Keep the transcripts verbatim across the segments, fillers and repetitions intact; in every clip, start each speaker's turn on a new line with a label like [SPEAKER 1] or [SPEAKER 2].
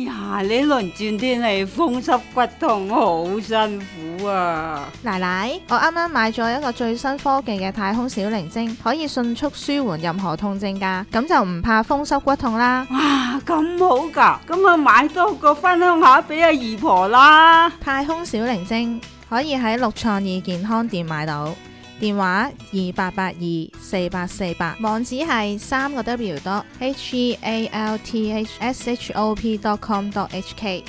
[SPEAKER 1] 呀，呢輪轉天氣風濕骨痛好辛苦啊！
[SPEAKER 2] 奶奶，我啱啱買咗一個最新科技嘅太空小靈精，可以迅速舒緩任何痛症㗎，咁就唔怕風濕骨痛啦。
[SPEAKER 1] 哇，咁好㗎，咁啊買多個分享下俾阿姨婆啦。
[SPEAKER 2] 太空小靈精可以喺六創意健康店買到，電話二八八二四八四八，網址係三個 W dot H E A L T H S H O P dot com dot H K。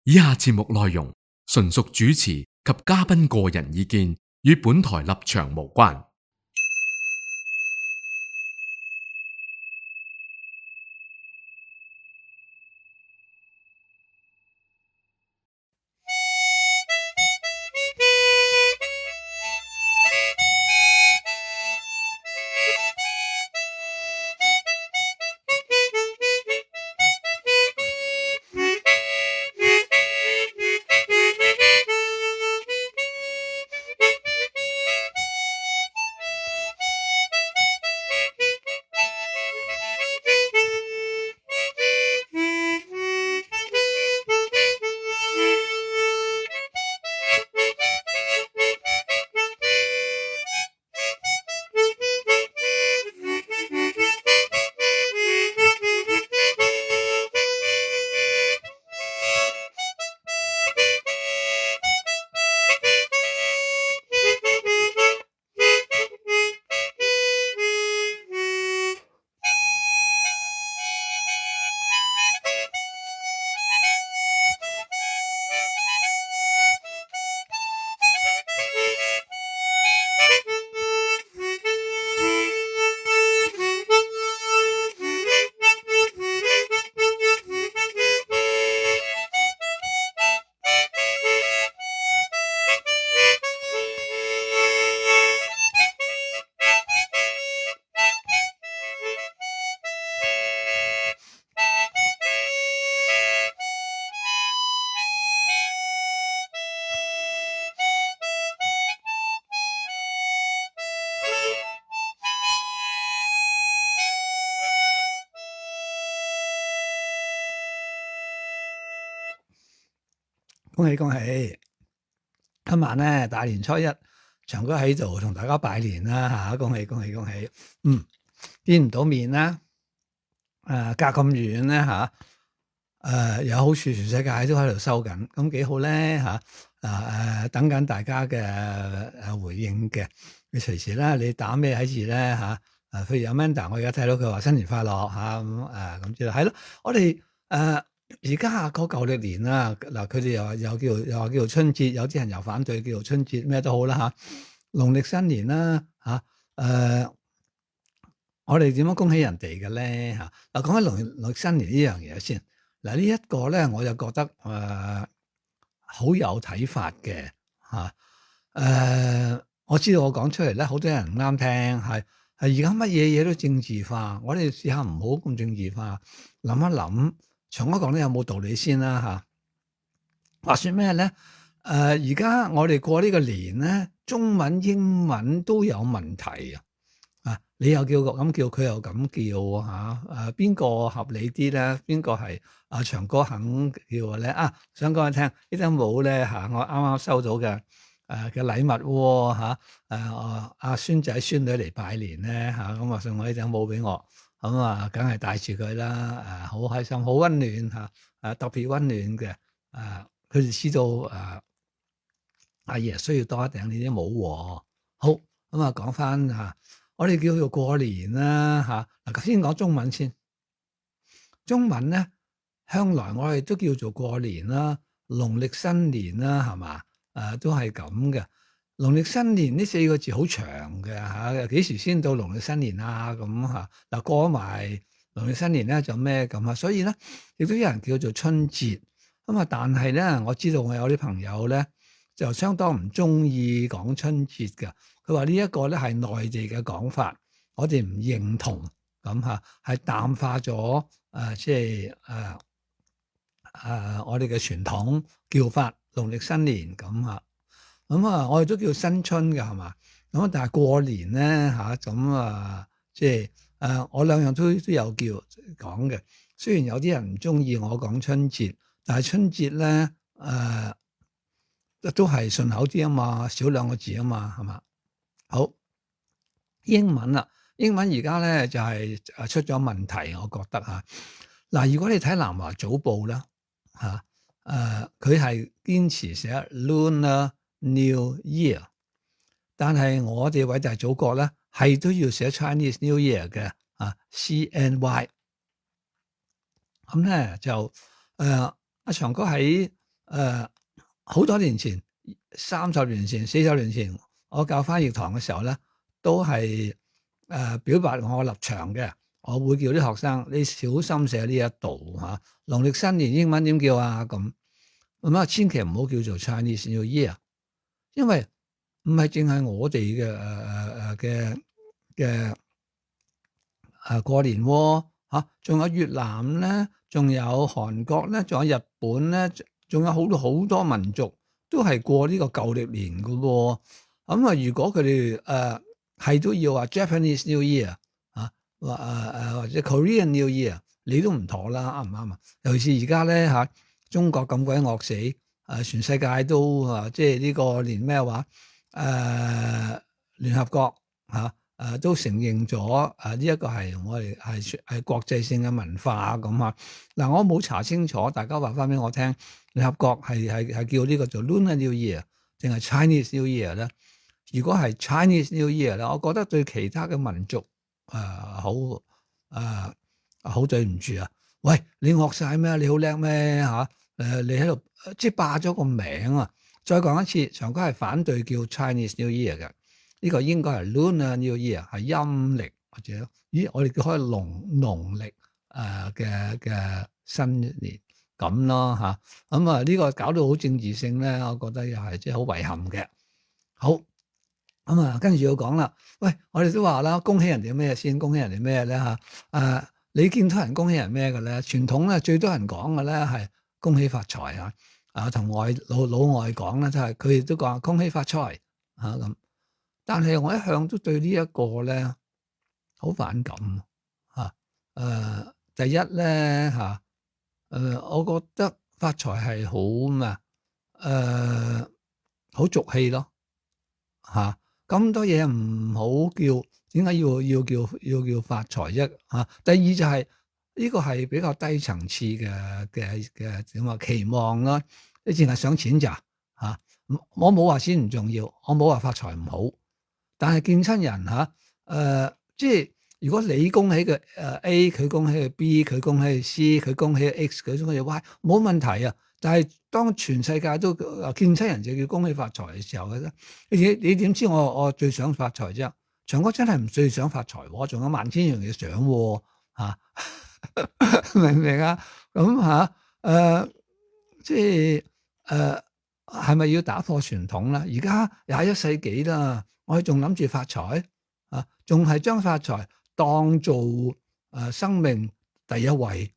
[SPEAKER 3] 以下節目內容純屬主持及嘉賓個人意見，與本台立場無關。
[SPEAKER 4] 恭喜恭喜！今晚咧大年初一，長哥喺度同大家拜年啦嚇，恭喜恭喜恭喜！嗯，見唔到面啦，誒隔咁遠咧嚇，誒有好處，全世界都喺度收緊，咁幾好咧嚇，誒誒等緊大家嘅誒回應嘅，你隨時啦，你打咩喺字咧嚇，誒譬如有 Amanda，我而家睇到佢話新年快樂嚇，咁誒咁之類，係咯，我哋誒。而家過舊歷年啦，嗱佢哋又話又叫又話叫做春節，有啲人又反對叫做春節，咩都好啦嚇。農曆新年啦嚇，誒我哋點樣恭喜人哋嘅咧嚇？嗱講起農農曆新年呢樣嘢先，嗱呢一個咧我就覺得誒好有睇法嘅嚇。誒我知道我講出嚟咧，好多人唔啱聽，係係而家乜嘢嘢都政治化，我哋試下唔好咁政治化，諗一諗。長哥講咧有冇道理先啦嚇？話説咩咧？誒而家我哋過呢個年咧，中文英文都有問題啊！啊，你又叫咁叫，佢又咁叫嚇？誒邊個合理啲咧？邊個係阿長哥肯叫嘅咧？啊，想講你聽，呢頂帽咧嚇，我啱啱收到嘅誒嘅禮物喎嚇，誒阿孫仔孫女嚟拜年咧嚇，咁啊送我呢頂帽俾我。咁啊，梗係帶住佢啦，誒，好開心，好溫暖嚇，誒，特別溫暖嘅，誒，佢哋知道誒，阿爺需要多一頂呢啲帽喎。好，咁啊，講翻嚇，我哋叫做過年啦嚇。嗱，頭先講中文先，中文咧，向來我哋都叫做過年啦，農曆新年啦，係嘛？誒，都係咁嘅。農曆新年呢四個字好長嘅嚇，幾時先到農曆新年啊？咁嚇嗱，過埋農曆新年咧就咩咁啊？所以咧亦都有人叫做春節咁啊。但係咧，我知道我有啲朋友咧就相當唔中意講春節嘅。佢話呢一個咧係內地嘅講法，我哋唔認同咁嚇，係淡化咗誒，即係誒誒我哋嘅傳統叫法農曆新年咁嚇。咁啊，我哋都叫新春嘅係嘛？咁但係過年咧嚇，咁啊，即係誒，我兩樣都都有叫講嘅。雖然有啲人唔中意我講春節，但係春節咧誒、呃、都係順口啲啊嘛，少兩個字啊嘛，係嘛？好，英文啦，英文而家咧就係誒出咗問題，我覺得嚇。嗱，如果你睇南華早報啦嚇，誒佢係堅持寫 Lunar New Year，但係我哋偉大祖國咧係都要寫 Chinese New Year 嘅啊 C N Y。咁咧就誒阿長哥喺誒好多年前，三十年前、四十年前，我教翻譯堂嘅時候咧，都係誒、呃、表白我立場嘅。我會叫啲學生你小心寫呢一度嚇。農曆新年英文點叫啊？咁咁啊，千祈唔好叫做 Chinese New Year，因為唔係淨係我哋嘅誒誒嘅嘅誒過年喎嚇，仲有越南咧，仲有韓國咧，仲有日本咧，仲有好多好多民族都係過呢個舊曆年嘅喎。咁啊，如果佢哋誒係都要話 Japanese New Year 啊，或誒誒或者 Korean New Year，你都唔妥啦，啱唔啱啊？尤其是而家咧嚇，中國咁鬼惡死，誒、啊、全世界都啊，即係呢個連咩話誒聯合國嚇。啊誒、呃、都承認咗誒呢一個係我哋係係國際性嘅文化咁啊！嗱，我冇查清楚，大家話翻俾我聽，聯合國係係係叫呢個做 Lunar New Year 定係 Chinese New Year 咧？如果係 Chinese New Year 咧，我覺得對其他嘅民族誒、呃、好誒好、呃、對唔住啊！喂，你惡晒咩？你好叻咩嚇？誒，你喺度即係霸咗個名啊！再講一次，長哥係反對叫 Chinese New Year 嘅。呢個應該係 Lunar New Year，係陰歷或者咦，我哋叫開農農曆誒嘅嘅新年咁咯嚇。咁啊呢個搞到好政治性咧，我覺得又係即係好遺憾嘅。好咁啊，跟住要講啦。喂，我哋都話啦，恭喜人哋咩先？恭喜人哋咩咧嚇？誒，你見到人恭喜人咩嘅咧？傳統咧最多人講嘅咧係恭喜發財啊！啊，同外老老外講咧，就係佢哋都講恭喜發財嚇咁。但係我一向都對呢一個咧好反感嚇。誒、呃，第一咧嚇，誒、啊呃，我覺得發財係好咩？誒，好俗氣咯嚇。咁多嘢唔好叫，點解要要叫要叫發財啫嚇？第二就係、是、呢、這個係比較低層次嘅嘅嘅點話期望啦。你淨係想錢咋嚇？我冇話錢唔重要，我冇話發財唔好。但係見親人嚇，誒、呃，即係如果你恭喜嘅誒 A，佢恭喜嘅 B，佢恭喜嘅 C，佢恭喜嘅 X，佢恭喜嘅 Y，冇問題啊。但係當全世界都見親人就叫恭喜發財嘅時候咧，你你點知我我最想發財啫？長哥真係唔最想發財，我仲有萬千樣嘢想喎、啊、明唔明啊？咁嚇誒，即係誒係咪要打破傳統咧？而家廿一世紀啦。我哋仲諗住發財啊，仲係將發財當做誒、呃、生命第一位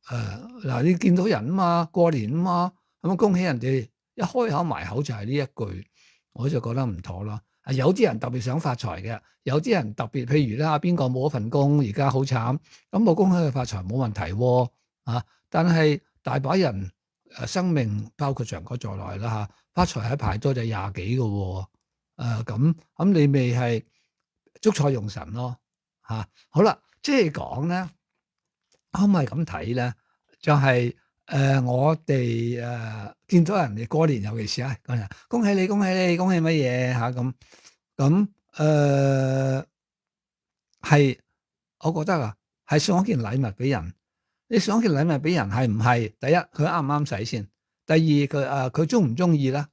[SPEAKER 4] 誒嗱、呃，你見到人啊嘛，過年啊嘛，咁啊恭喜人哋，一開口埋口就係呢一句，我就覺得唔妥啦。有啲人特別想發財嘅，有啲人特別，譬如咧邊個冇一份工，而家好慘，咁我恭喜佢發財冇問題喎啊！但係大把人誒生命包括長哥在內啦嚇，發財係排多就廿幾個喎。誒咁咁你咪係捉錯用神咯嚇、啊！好啦，即係講咧，可唔可以咁睇咧？就係、是、誒、呃、我哋誒、呃、見到人哋過年，尤其是啊，講人恭喜你，恭喜你，恭喜乜嘢嚇咁咁誒係，我覺得啊，係送一件禮物俾人。你送一件禮物俾人係唔係？第一佢啱唔啱使先？第二佢誒佢中唔中意咧？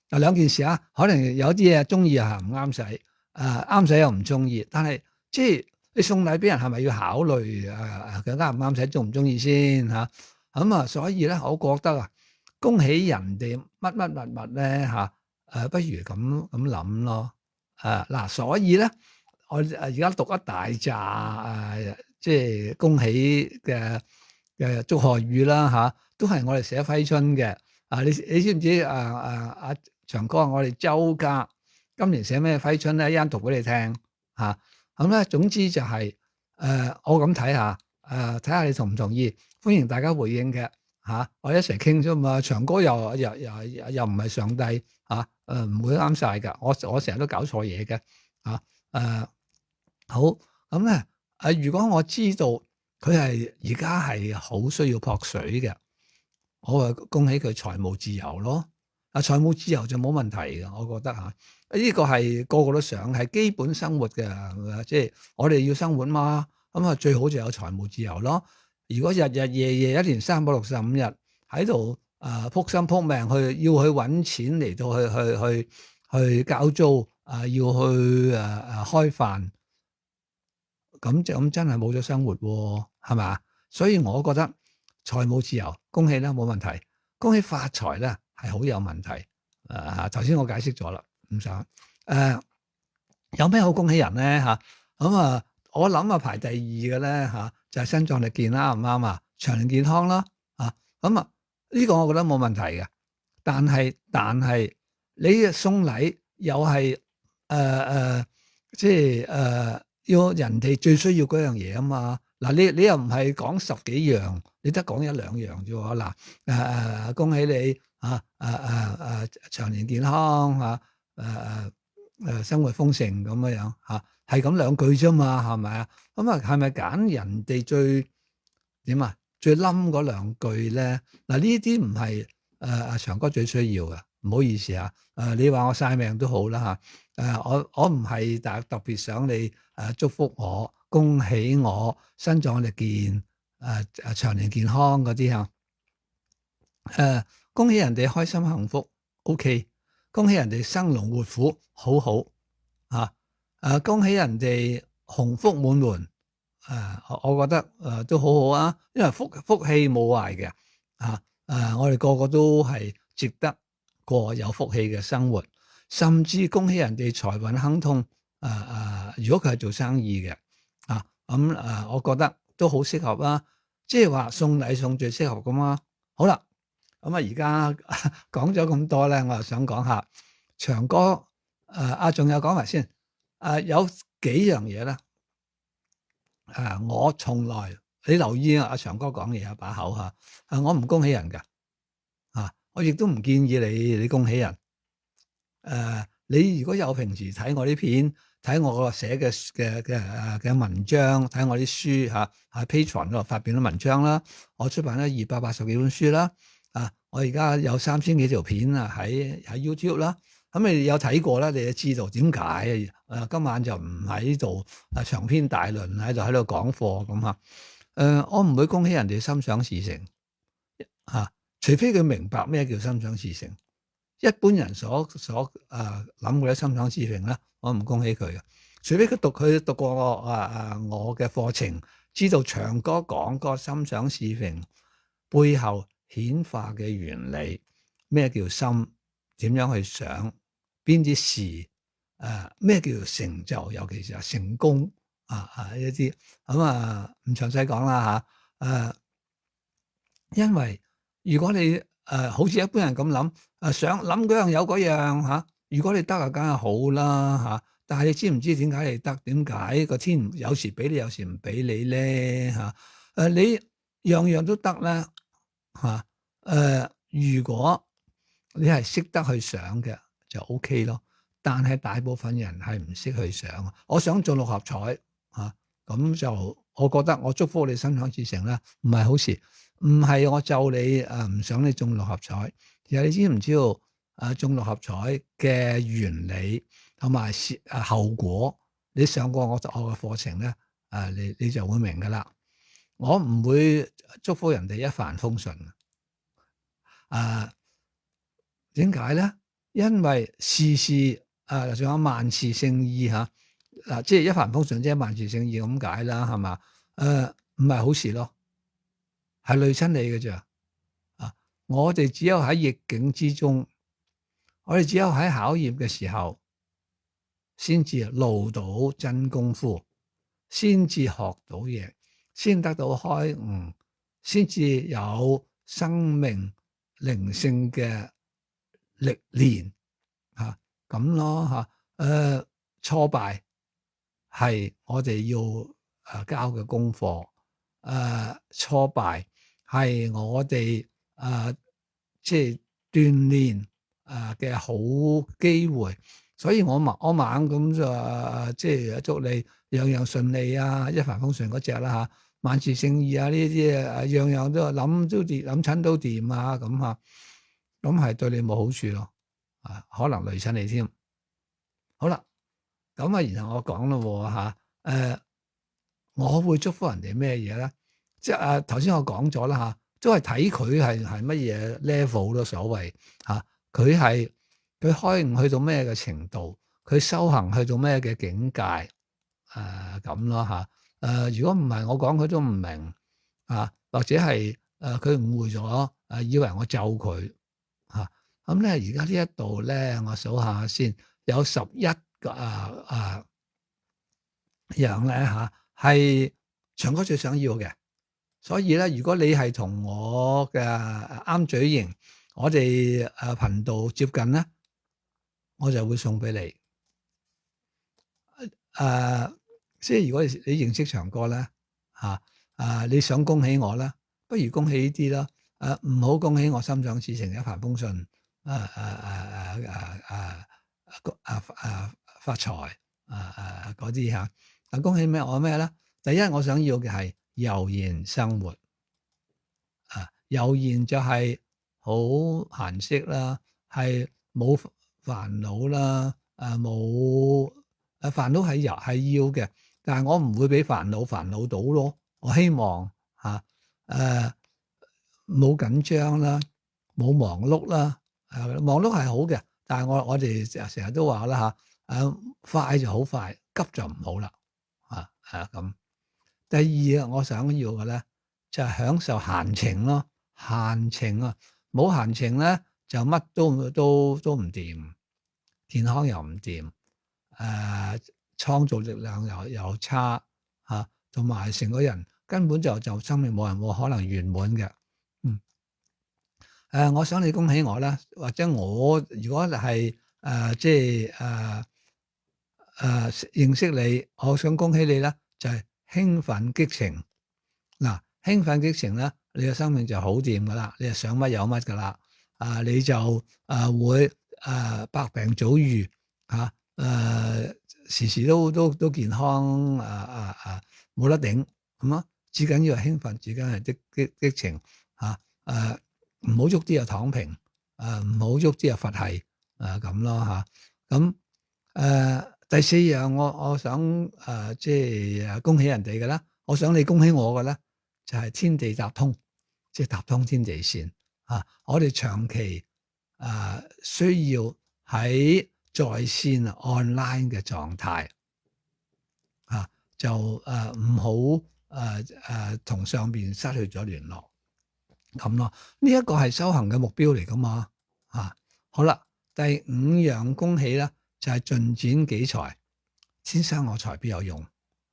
[SPEAKER 4] 嗱兩件事啊，可能有啲嘢中意啊，唔啱使，誒啱使又唔中意。但係即係你送禮俾人係咪要考慮誒佢啱唔啱使，中唔中意先嚇？咁啊，所以咧，我覺得啊，恭喜人哋乜乜物物咧嚇，誒不如咁咁諗咯。誒嗱，所以咧，我誒而家讀一大紮誒，即係恭喜嘅嘅祝賀語啦嚇，都係我哋寫揮春嘅。啊，你你知唔知誒誒阿長哥，我哋周家今年寫咩揮春咧？一陣讀俾你聽嚇。咁咧，總之就係誒，我咁睇下誒睇下你同唔同意，歡迎大家回應嘅嚇、啊，我一齊傾啫嘛。長哥又又又又唔係上帝嚇，誒唔會啱晒㗎。我我成日都搞錯嘢嘅嚇誒。好咁咧誒，如果我知道佢係而家係好需要撲水嘅，我話恭喜佢財務自由咯。啊，財務自由就冇問題嘅，我覺得嚇。呢、呢個係個個都想，係基本生活嘅，即係我哋要生活嘛。咁啊，最好就有財務自由咯。如果日日夜夜一年三百六十五日喺度誒撲心撲命去要去揾錢嚟到去去去去交租啊、呃，要去誒誒、呃、開飯，咁就咁真係冇咗生活喎，係嘛？所以我覺得財務自由，恭喜啦，冇問題。恭喜發財咧，係好有問題。誒頭先我解釋咗啦，唔想誒、呃、有咩好恭喜人咧嚇？咁啊，我諗啊排第二嘅咧嚇，就係身壯力健啦，唔啱啊？長年健康啦，啊咁啊呢個我覺得冇問題嘅。但係但係你送禮又係誒誒，即係誒、呃、要人哋最需要嗰樣嘢啊嘛。嗱，你你又唔係講十幾樣，你得講一兩樣啫喎。嗱誒誒，恭喜你啊誒誒誒長年健康嚇誒誒誒生活豐盛咁樣樣嚇，係咁兩句啫嘛，係咪啊？咁啊係咪揀人哋最點啊最冧嗰兩句咧？嗱，呢啲唔係誒阿長哥最需要嘅，唔好意思啊。誒你話我曬命都好啦嚇，誒我我唔係特特別想你誒祝福我。恭喜我身壯力健，誒、呃、誒長年健康嗰啲嚇，誒、呃、恭喜人哋開心幸福 ，OK，恭喜人哋生龍活虎，好好嚇，誒、呃、恭喜人哋鴻福滿門，誒、呃、我覺得誒、呃、都好好啊，因為福福氣冇壞嘅，啊誒、呃、我哋個個都係值得過有福氣嘅生活，甚至恭喜人哋財運亨通，誒、呃、誒、呃、如果佢係做生意嘅。啊，咁、嗯、誒、呃，我覺得都好適合啦，即係話送禮送最適合噶嘛。好啦，咁啊而家講咗咁多咧，我又想講下長哥誒，啊仲有講埋先，誒、啊、有幾樣嘢咧，誒、啊、我從來你留意啊，阿長哥講嘢有把口嚇，啊我唔恭喜人㗎，啊我亦都唔建議你你恭喜人，誒、啊、你如果有平時睇我啲片。睇我個寫嘅嘅嘅誒嘅文章，睇我啲書嚇，喺 Patreon 嗰度發表咗文章啦。我出版咗二百八十幾本書啦。啊，我而家有三千幾條片啊，喺喺 YouTube 啦。咁你有睇過啦，你就知道點解啊？今晚就唔喺度啊，長篇大論喺度喺度講課咁嚇。誒，我唔會恭喜人哋心想事成嚇，除非佢明白咩叫心想事成。一般人所所誒諗嗰啲心想事成咧，我唔恭喜佢嘅。除非佢讀佢讀過我啊啊我嘅課程，知道長哥講個心想事成背後顯化嘅原理，咩叫心，點樣去想，邊啲事誒咩叫做成就，尤其是係成功啊啊一啲咁啊唔詳細講啦嚇誒，因為如果你誒、呃、好似一般人咁諗，誒、呃、想諗嗰樣有嗰樣嚇。如果你得啊，梗係好啦嚇。但係你知唔知點解你得？點解個天有時俾你，有時唔俾你咧嚇？誒、呃、你樣樣都得咧嚇。誒、呃、如果你係識得去想嘅就 O K 咯。但係大部分人係唔識去想。我想中六合彩嚇，咁、啊、就我覺得我祝福你心想事成啦，唔係好事。唔係我咒你誒，唔想你中六合彩。其實你知唔知道誒中六合彩嘅原理同埋誒後果？你上過我我嘅課程咧，誒你你就會明噶啦。我唔會祝福人哋一帆風順。誒點解咧？因為事事誒仲有萬事勝意嚇。嗱、啊，即係一帆風順即係萬事勝意咁解啦，係嘛？誒唔係好事咯。係累親你嘅咋啊！我哋只有喺逆境之中，我哋只有喺考驗嘅時候，先至露到真功夫，先至學到嘢，先得到開悟，先至有生命靈性嘅歷練嚇咁咯嚇。誒、呃、挫敗係我哋要誒交嘅功課。誒挫敗，係我哋誒即係鍛鍊誒嘅好機會。所以我猛我猛咁就即係祝你樣樣順利啊，一帆風順嗰隻啦嚇，萬事勝意啊呢啲啊，樣樣都諗都掂，諗親都掂啊咁嚇，咁係對你冇好處咯，啊可能累親你添。好啦，咁啊然後我講咯嚇，誒我會祝福人哋咩嘢咧？即係啊頭先我講咗啦嚇，都係睇佢係係乜嘢 level 咯，所謂嚇，佢係。佢開悟去到咩嘅程度，佢修行去到咩嘅境界，誒咁咯嚇。誒如果唔係我講佢都唔明啊，或者係誒佢誤會咗，誒、啊、以為我咒佢嚇。咁咧而家呢一度咧，我數下先，有十一個啊啊樣咧嚇，係長哥最想要嘅。所以咧，如果你係同我嘅啱嘴型，我哋誒頻道接近咧。我就會送俾你，誒、呃，即係如果你你認識長哥咧，嚇、啊，誒、啊，你想恭喜我啦，不如恭喜呢啲啦，誒、啊，唔好恭喜我心想事成一帆風順，誒誒誒誒誒誒誒誒發財，誒誒嗰啲嚇，啊恭喜咩？我咩咧？第一我想要嘅係悠然生活，啊，悠然就係好閒適啦，係冇煩惱啦，誒冇誒煩惱係有係要嘅，但係我唔會俾煩惱煩惱到咯。我希望嚇誒冇緊張啦，冇忙碌啦。誒、啊、忙碌係好嘅，但係我我哋成日都話啦嚇，誒、啊、快就好快，急就唔好啦。啊誒咁。第二啊，我想要嘅咧就係、是、享受閒情咯，閒情啊，冇閒情咧就乜都都都唔掂。健康又唔掂，誒、呃、創造力量又又差嚇，同埋成個人根本就就生命冇人冇可能圓滿嘅。嗯，誒、呃，我想你恭喜我啦，或者我如果係誒、呃、即係誒誒認識你，我想恭喜你咧，就係、是、興奮激情。嗱、呃，興奮激情咧，你嘅生命就好掂噶啦，你係想乜有乜噶啦，啊、呃、你就誒、呃、會。誒、呃、百病早癒嚇，誒、呃、時時都都都健康，誒誒誒冇得頂咁啊！至緊要係興奮，至緊係激激激情嚇，誒唔好喐啲又躺平，誒唔好喐啲又佛系，誒咁咯嚇。咁、啊、誒、呃、第四樣我我想誒、呃、即係恭喜人哋嘅啦，我想你恭喜我嘅咧，就係、是、天地搭通，即係搭通天地線啊！我哋長期。誒、呃、需要喺在，在線 online 嘅狀態啊，就誒唔好誒誒同上邊失去咗聯絡咁咯。呢一個係修行嘅目標嚟噶嘛啊。好啦，第五樣恭喜咧就係、是、進展己才，天生我材必有用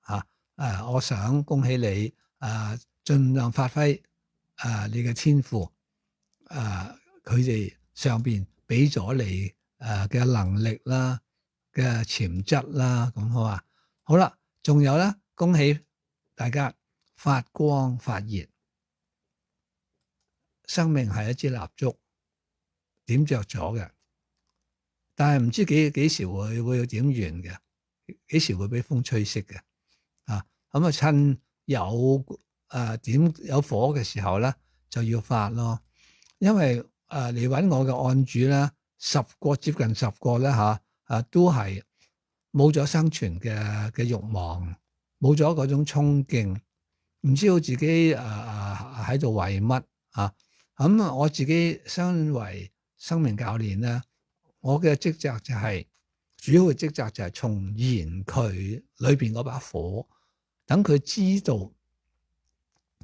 [SPEAKER 4] 啊。誒、呃，我想恭喜你誒、呃，盡量發揮誒、呃、你嘅天賦誒，佢哋。上邊俾咗你誒嘅能力啦，嘅潛質啦，咁好啊。好啦，仲有咧，恭喜大家發光發熱。生命係一支蠟燭，點着咗嘅，但係唔知幾幾時會會點完嘅，幾時會俾風吹熄嘅啊。咁啊，趁有誒、呃、點有火嘅時候咧，就要發咯，因為。誒嚟揾我嘅案主咧，十個接近十個咧嚇，誒都係冇咗生存嘅嘅慾望，冇咗嗰種衝勁，唔知道自己誒誒喺度為乜啊？咁、嗯、我自己身為生命教練咧，我嘅職責就係、是、主要嘅職責就係重燃佢裏邊嗰把火，等佢知道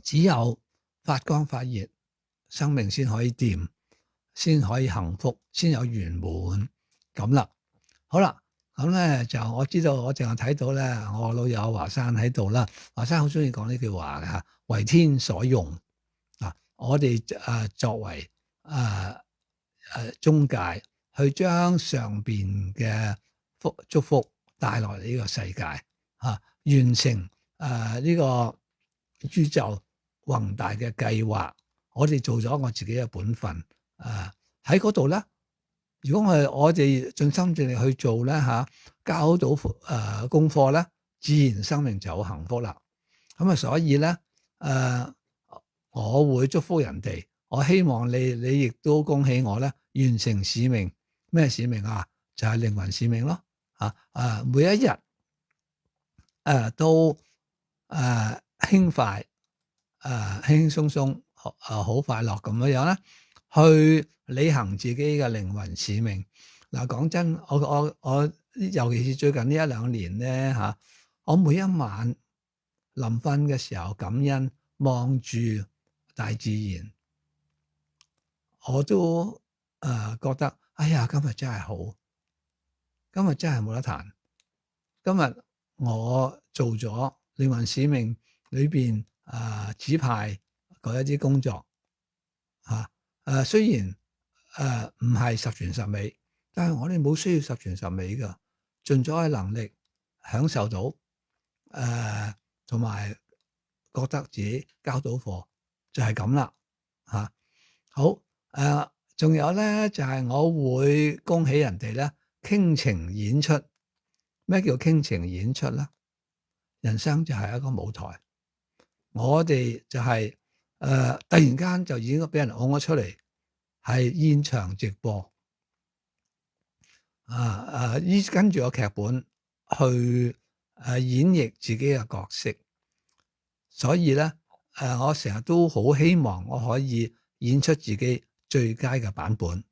[SPEAKER 4] 只有發光發熱，生命先可以掂。先可以幸福，先有圓滿咁啦。好啦，咁咧就我知道，我淨係睇到咧，我老友華山喺度啦。華山好中意講呢句話嘅嚇，為天所用啊！我哋誒作為誒誒中介，去將上邊嘅福祝福帶落嚟呢個世界嚇、啊，完成誒呢、呃這個宇宙宏大嘅計劃，我哋做咗我自己嘅本分。誒喺嗰度咧，如果我哋我哋盡心盡力去做咧嚇，交到誒、呃、功課咧，自然生命就好幸福啦。咁啊，所以咧誒、呃，我會祝福人哋，我希望你你亦都恭喜我咧，完成使命。咩使命啊？就係、是、靈魂使命咯。啊啊，每一日誒、呃、都誒、呃、輕快誒、呃、輕輕鬆鬆，誒好快樂咁樣樣咧，去履行自己嘅靈魂使命。嗱，講真，我我我，尤其是最近呢一兩年咧嚇，我每一晚臨瞓嘅時候感恩，望住大自然，我都誒、呃、覺得，哎呀，今日真係好，今日真係冇得彈。今日我做咗靈魂使命裏邊誒指派嗰一啲工作嚇，誒、呃、雖然誒唔係十全十美，但係我哋冇需要十全十美㗎，盡咗嘅能力享受到誒，同、呃、埋覺得自己交到貨就係咁啦嚇。好誒，仲、呃、有咧就係、是、我會恭喜人哋咧傾情演出。咩叫傾情演出咧？人生就係一個舞台，我哋就係、是、誒、呃、突然間就已經俾人拱咗出嚟，係現場直播啊啊！依跟住個劇本去誒演繹自己嘅角色，所以咧誒、呃，我成日都好希望我可以演出自己最佳嘅版本。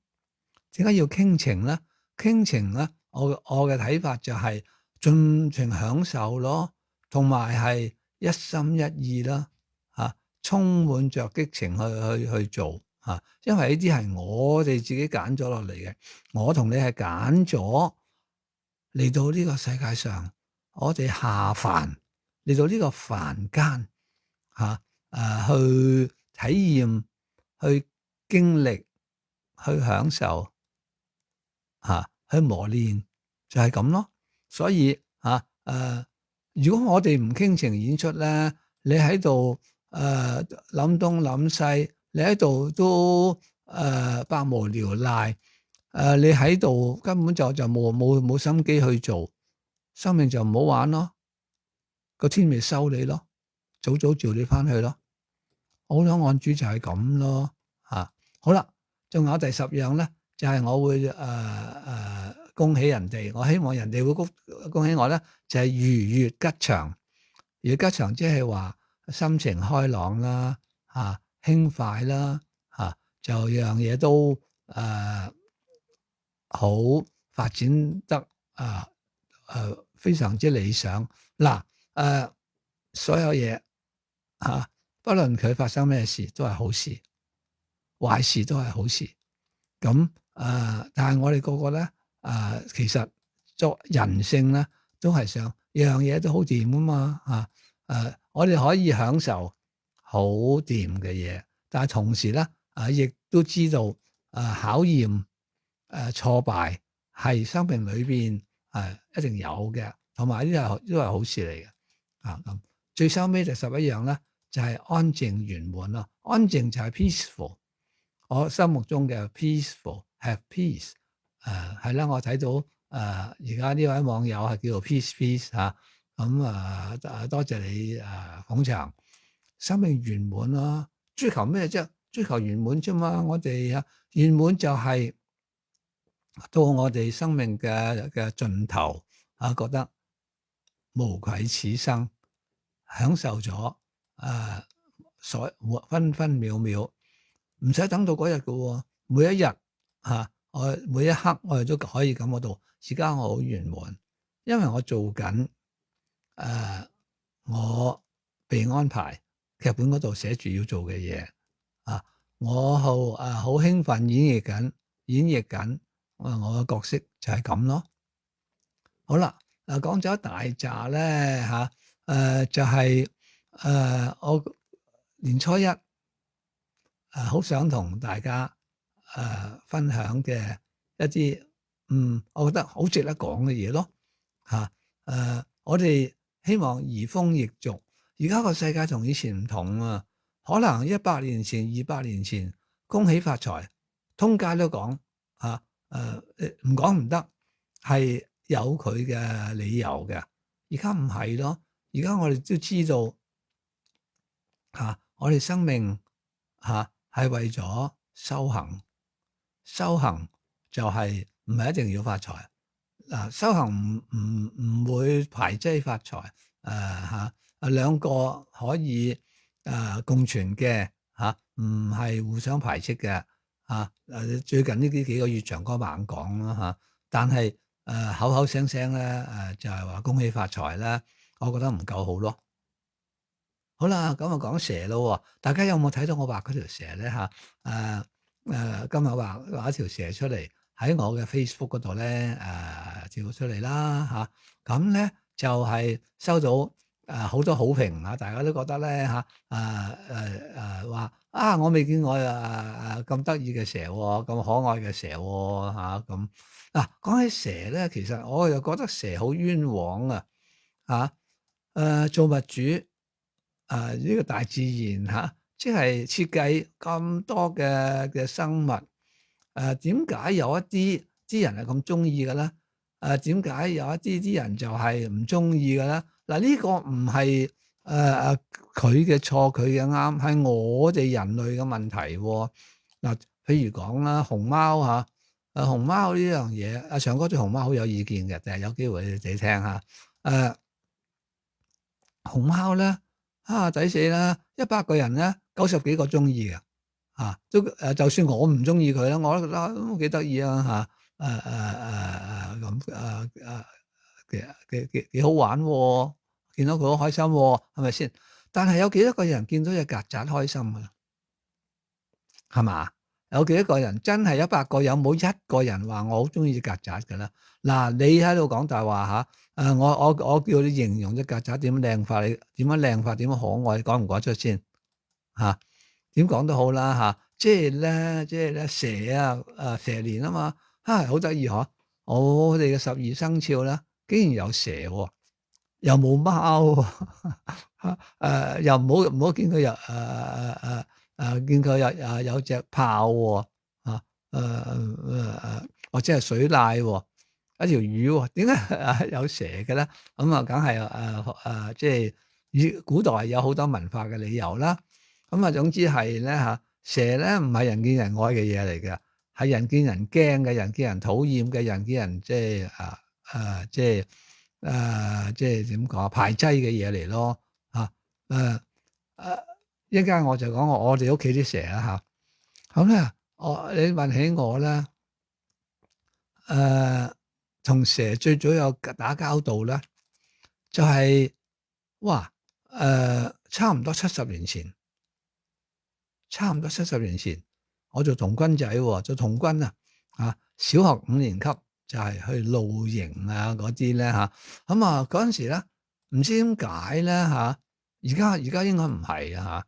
[SPEAKER 4] 點解要傾情咧？傾情咧？我我嘅睇法就係盡情享受咯，同埋係一心一意啦，嚇、啊，充滿着激情去去去做嚇、啊，因為呢啲係我哋自己揀咗落嚟嘅，我同你係揀咗嚟到呢個世界上，我哋下凡嚟到呢個凡間嚇，誒、啊、去體驗、去經歷、去享受嚇。啊去磨練就係咁咯，所以嚇誒、呃，如果我哋唔傾情演出咧，你喺度誒諗東諗西，你喺度都誒、呃、百無聊賴，誒、呃、你喺度根本就就冇冇冇心機去做，生命就唔好玩咯，個天咪收你咯，早早召你翻去咯，好想按主就係咁咯嚇、啊。好啦，仲有第十樣咧。就係我會誒誒、呃呃、恭喜人哋，我希望人哋會恭恭喜我咧，就係、是、如月吉祥。如月吉祥即係話心情開朗啦，嚇、啊、輕快啦，嚇、啊、就樣嘢都誒、呃、好發展得啊誒、呃、非常之理想。嗱誒、呃、所有嘢嚇、啊，不論佢發生咩事，都係好事，壞事都係好事。咁誒、呃，但係我哋個個咧，誒、呃，其實作人性咧，都係想樣嘢都好掂噶嘛，嚇、啊，誒、呃，我哋可以享受好掂嘅嘢，但係同時咧，啊，亦都知道誒、呃、考驗誒、呃、挫敗係生命裏邊誒一定有嘅，同埋呢啲都係好事嚟嘅，啊咁，最收尾就十一樣咧，就係、是、安靜圓滿咯，安靜就係 peaceful，我心目中嘅 peaceful。Have peace，誒係啦，我睇到誒而家呢位網友係叫做 peace peace 嚇，咁啊誒多謝你誒捧場，生命圓滿咯，追求咩啫？追求圓滿啫嘛，我哋啊圓滿就係到我哋生命嘅嘅盡頭啊，覺得無愧此生，享受咗誒所分分秒秒，唔使等到嗰日嘅喎，每一日。嚇、啊！我每一刻我哋都可以感覺到，而家我好圓滿，因為我做緊誒、呃，我被安排劇本嗰度寫住要做嘅嘢啊！我好誒好興奮演繹緊，演繹緊我我嘅角色就係咁咯。好啦，嗱講咗一大紮咧嚇，誒就係、是、誒、呃、我年初一誒好、呃、想同大家。誒、呃、分享嘅一啲嗯，我覺得好值得講嘅嘢咯嚇。誒、呃，我哋希望移風易俗，而家個世界同以前唔同啊，可能一百年前、二百年前，恭喜發財，通街都講啊，誒唔講唔得，係有佢嘅理由嘅。而家唔係咯，而家我哋都知道嚇、啊，我哋生命嚇係、啊、為咗修行，修行就係唔係一定要發財嗱、啊，修行唔唔唔會排擠發財誒嚇，啊兩個可以誒、啊、共存嘅嚇，唔、啊、係互相排斥嘅嚇。誒、啊、最近呢啲幾個月長哥猛講啦嚇，但係誒、啊、口口聲聲咧誒就係話恭喜發財咧，我覺得唔夠好咯。好啦，咁啊講蛇咯，大家有冇睇到我畫嗰條蛇咧嚇？誒、啊、誒、啊，今日畫畫一條蛇出嚟喺我嘅 Facebook 嗰度咧誒照出嚟啦嚇，咁、啊、咧就係、是、收到誒好、呃、多好評啊！大家都覺得咧嚇誒誒誒話啊，我未見過誒誒咁得意嘅蛇喎，咁可愛嘅蛇喎嚇咁。嗱，講起蛇咧，其實我又覺得蛇好冤枉啊嚇誒造物主。啊！呢、這個大自然嚇、啊，即係設計咁多嘅嘅生物，誒點解有一啲啲人係咁中意嘅咧？誒點解有一啲啲人就係唔中意嘅咧？嗱、啊，呢、這個唔係誒誒佢嘅錯，佢嘅啱，係我哋人類嘅問題喎。嗱、啊，譬如講啦，熊貓嚇，誒、啊、熊貓呢樣嘢，阿長哥對熊貓好有意見嘅，但係有機會你哋聽下。誒、啊、熊貓咧。啊！抵死啦！一百個人咧，九十幾個中意嘅，啊都誒，就算我唔中意佢咧，我都覺得都幾得意啊！嚇誒誒誒誒咁誒誒幾幾幾幾好玩喎！見到佢好開心喎，係咪先？但係有幾多個人見到隻曱甴開心㗎？係嘛？有幾多個人真係一百個有冇一個人話我好中意隻曱甴㗎啦？嗱，你喺度講大話嚇。誒、呃、我我我叫你形容隻曱甴點樣靚法，你點樣靚法，點樣可愛，講唔講得出先嚇？點、啊、講都好啦嚇、啊，即係咧，即係咧蛇啊，誒蛇年啊嘛，嚇好得意嗬！我哋嘅十二生肖咧，竟然有蛇喎、啊，又冇貓喎、啊啊，又唔好唔好見佢有誒誒誒誒見佢有誒有隻豹喎，嚇誒誒誒或者係水獺喎。一條魚喎，點解有蛇嘅咧？咁啊，梗係誒誒，即係以古代有好多文化嘅理由啦。咁啊，總之係咧嚇，蛇咧唔係人見人愛嘅嘢嚟嘅，係人見人驚嘅，人見人討厭嘅，人見人即係誒誒，即係誒，即係點講排擠嘅嘢嚟咯嚇誒誒，一陣間我就講我我哋屋企啲蛇啦嚇。咁咧，我你問起我咧誒。呃同蛇最早有打交道咧，就係、是、哇誒、呃，差唔多七十年前，差唔多七十年前，我做童軍仔喎，做童軍啊，啊，小學五年級就係去露營啊嗰啲咧嚇，咁啊嗰陣時咧，唔知點解咧嚇，而家而家應該唔係啊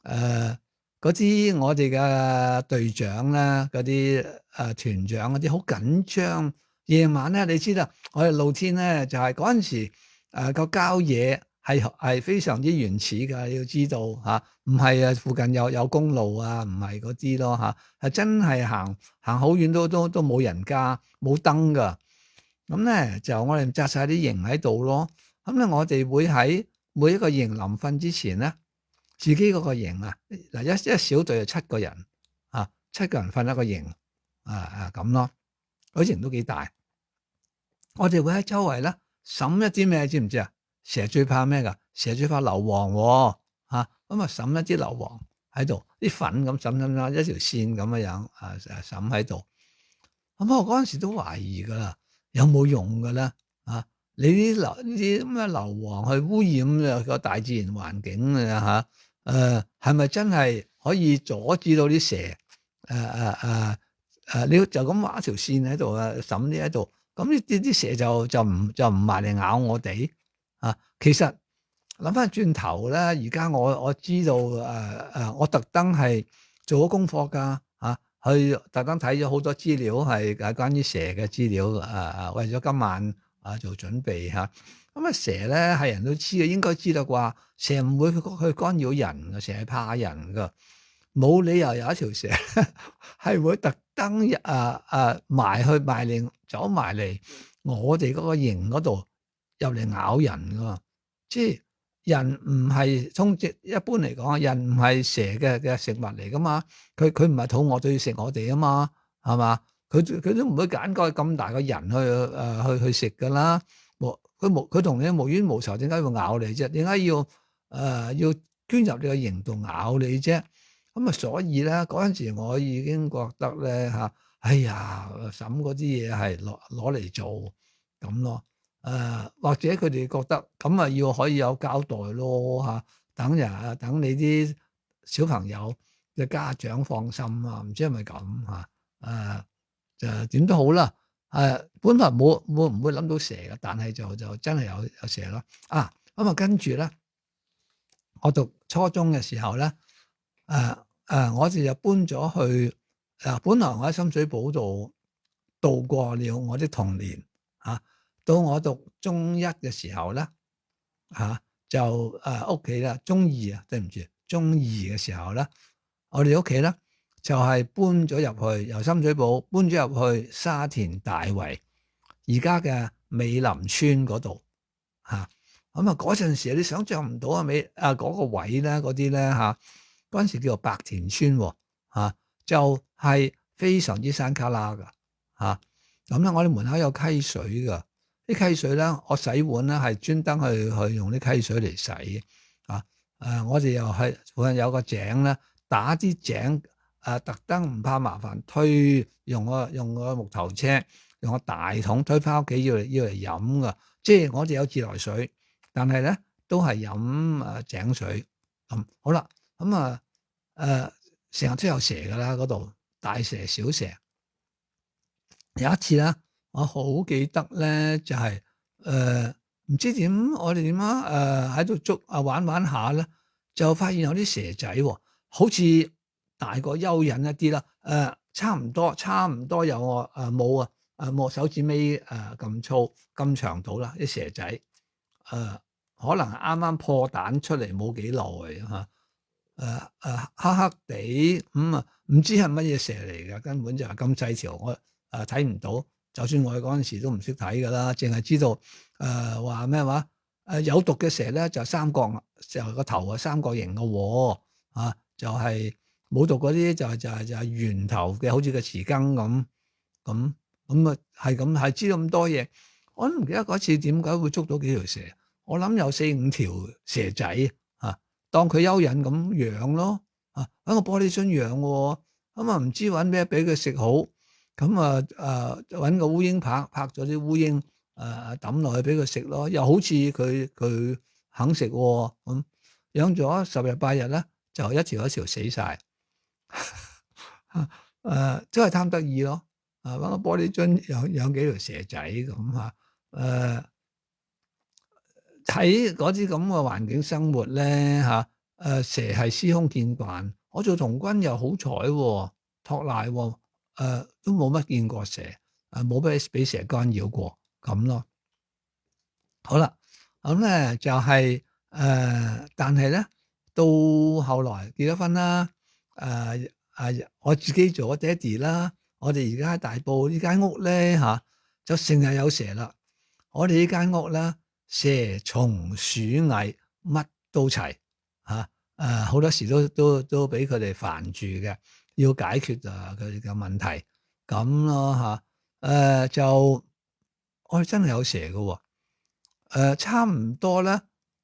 [SPEAKER 4] 嚇，誒嗰啲我哋嘅隊長咧，嗰啲誒團長嗰啲好緊張。夜晚咧，你知啦，我哋露天咧就係嗰陣時誒個郊野係係非常之原始㗎，你要知道嚇，唔係啊附近有有公路啊，唔係嗰啲咯嚇，係真係行行好遠都都都冇人家冇燈㗎。咁咧就我哋紮晒啲營喺度咯。咁咧我哋會喺每一個營臨瞓之前咧，自己嗰個營啊嗱一一小隊就七個人啊，七個人瞓一個營啊啊咁咯，嗰營都幾大。我哋會喺周圍咧審一啲咩，知唔知啊？蛇最怕咩噶？蛇最怕硫磺喎，嚇咁啊！審一啲硫磺喺度，啲粉咁審審審一條線咁嘅樣啊，審喺度。咁我嗰陣時都懷疑噶啦，有冇用噶咧？啊，你啲硫呢啲咁嘅硫磺去污染個大自然環境啊嚇？誒係咪真係可以阻止到啲蛇？誒誒誒誒，你就咁畫一條線喺度啊，審啲喺度。咁呢啲啲蛇就就唔就唔埋嚟咬我哋啊！其實諗翻轉頭咧，而家我我知道誒誒、呃，我特登係做咗功課㗎嚇，去特登睇咗好多資料係誒關於蛇嘅資料誒誒，為咗今晚啊做準備嚇。咁啊蛇咧係人都知嘅，應該知道啩？蛇唔會去去干擾人嘅，蛇係怕人噶，冇理由有一條蛇係會特登誒誒埋去埋嚟走埋嚟我哋嗰個營嗰度入嚟咬人噶。即係人唔係通直一般嚟講，人唔係蛇嘅嘅食物嚟噶嘛。佢佢唔係肚餓就要食我哋啊嘛，係嘛？佢佢都唔會揀個咁大個人去誒、呃、去去食噶啦。冇佢冇佢同你無冤無仇，點解要咬你啫？點解要誒、呃、要捐入你個營度咬你啫？咁啊，所以咧嗰陣時我已經覺得咧嚇，哎呀，審嗰啲嘢係攞攞嚟做咁咯。誒、呃、或者佢哋覺得咁啊要可以有交代咯嚇，等人等你啲小朋友嘅家長放心啊，唔知係咪咁嚇？誒就點都好啦。誒、呃、本來冇冇唔會諗到蛇嘅，但係就就真係有有蛇咯。啊咁啊，跟住咧，我讀初中嘅時候咧，誒、呃、誒、呃、我哋就搬咗去誒、呃，本來我喺深水埗度度過了我啲童年嚇。啊到我讀中一嘅時候咧，嚇、啊、就誒屋企啦，中二啊，對唔住，中二嘅時候咧，我哋屋企咧就係、是、搬咗入去，由深水埗搬咗入去沙田大圍，而家嘅美林村嗰度嚇。咁啊嗰陣時你想象唔到啊，美啊嗰個位咧嗰啲咧嚇，嗰陣時叫做白田村喎、啊、就係、是、非常之山卡拉噶嚇。咁、啊、咧我哋門口有溪水噶。啲溪水咧，我洗碗咧係專登去去用啲溪水嚟洗啊！誒、呃，我哋又係附近有個井咧，打啲井誒，特登唔怕麻煩，推用個用個木頭車，用個大桶推翻屋企要嚟要嚟飲噶。即係我哋有自來水，但係咧都係飲誒井水咁、嗯。好啦，咁啊誒，成日都有蛇噶啦，嗰度大蛇小蛇。有一次咧。我好記得咧，就係誒唔知點，我哋點啊誒喺度捉啊玩玩下咧，就發現有啲蛇仔喎，好似大過蚯蚓一啲啦，誒、呃、差唔多差唔多有我誒冇啊誒冇手指尾誒咁粗咁長度啦啲蛇仔，誒、呃、可能啱啱破蛋出嚟冇幾耐嚇，誒誒黑黑地咁啊，唔知係乜嘢蛇嚟嘅，根本就係咁細條，我誒睇唔到。就算我嗰陣時都唔識睇噶啦，淨係知道誒話咩話誒有毒嘅蛇咧就三角，就個頭啊三角形嘅喎啊，就係、是、冇毒嗰啲就係就係就係圓頭嘅，好似個匙羹咁咁咁啊，係咁係知道咁多嘢。我都唔記得嗰次點解會捉到幾條蛇，我諗有四五條蛇仔啊，當佢蚯蚓咁養咯啊，喺個玻璃樽養喎，咁啊唔知揾咩俾佢食好。咁啊誒揾個烏蠅拍拍咗啲烏蠅誒抌落去俾佢食咯，又好似佢佢肯食喎，咁養咗十日八日咧，就一條一條死晒。誒、呃、真係貪得意咯，啊揾個玻璃樽養養幾條蛇仔咁嚇，誒喺嗰啲咁嘅環境生活咧嚇，誒、呃、蛇係司空見慣，我做童軍又好彩喎，托賴喎。誒、呃、都冇乜見過蛇，誒冇俾俾蛇干擾過咁咯。好啦，咁、嗯、咧就係、是、誒、呃，但係咧到後來結咗婚啦，誒、呃、誒、呃、我自己做咗爹哋啦，我哋而家喺大埔呢間屋咧嚇、啊，就成日有蛇啦。我哋呢間屋咧，蛇蟲鼠蟻乜都齊嚇，誒好多時都都都俾佢哋煩住嘅。要解決啊佢哋嘅問題咁咯嚇，誒、呃、就我哋真係有蛇嘅喎、呃，差唔多咧，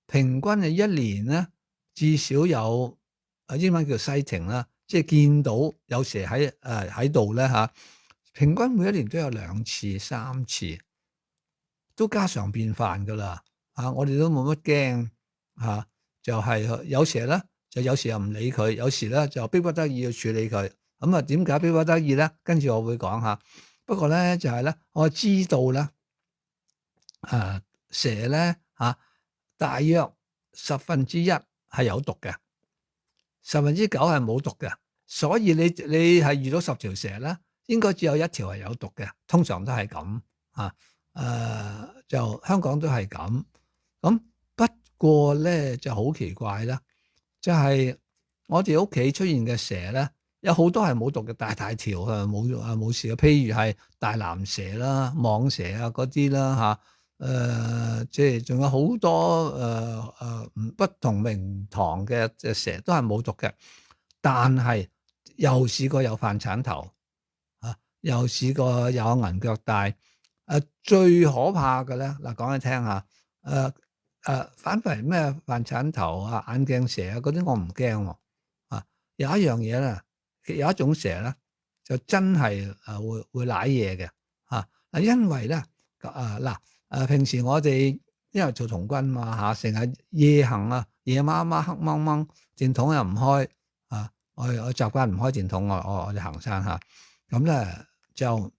[SPEAKER 4] 平均係一年咧至少有啊英文叫 sighting 啦，即係見到有蛇喺誒喺度咧嚇，平均每一年都有兩次三次，都家常便飯㗎啦嚇，我哋都冇乜驚嚇，就係、是、有蛇咧。就有時又唔理佢，有時咧就逼不得已要處理佢。咁啊，點解逼不得已咧？跟住我會講下。不過咧就係、是、咧，我知道咧，誒、呃、蛇咧嚇、啊，大約十分之一係有毒嘅，十分之九係冇毒嘅。所以你你係遇到十條蛇咧，應該只有一條係有毒嘅。通常都係咁嚇。誒、呃、就香港都係咁。咁不過咧就好奇怪啦，就係、是、我哋屋企出現嘅蛇咧，有好多係冇毒嘅，大大條啊，冇啊冇事嘅。譬如係大藍蛇啦、蟒蛇啊嗰啲啦嚇，誒即係仲有好多誒誒、呃、不同名堂嘅隻蛇都係冇毒嘅，但係又試過有飯鏟頭啊，又試過有銀腳帶。誒最可怕嘅咧嗱，講你聽下，誒誒反為咩飯鏟頭啊、眼鏡蛇啊嗰啲我唔驚喎，啊有一樣嘢咧，有一種蛇咧就真係誒會會舐嘢嘅嚇，嗱因為咧啊嗱誒平時我哋因為做童軍嘛嚇，成日夜行啊，夜媽媽黑掹掹，電筒又唔開啊，我我習慣唔開電筒，我我我哋行山嚇，咁咧就。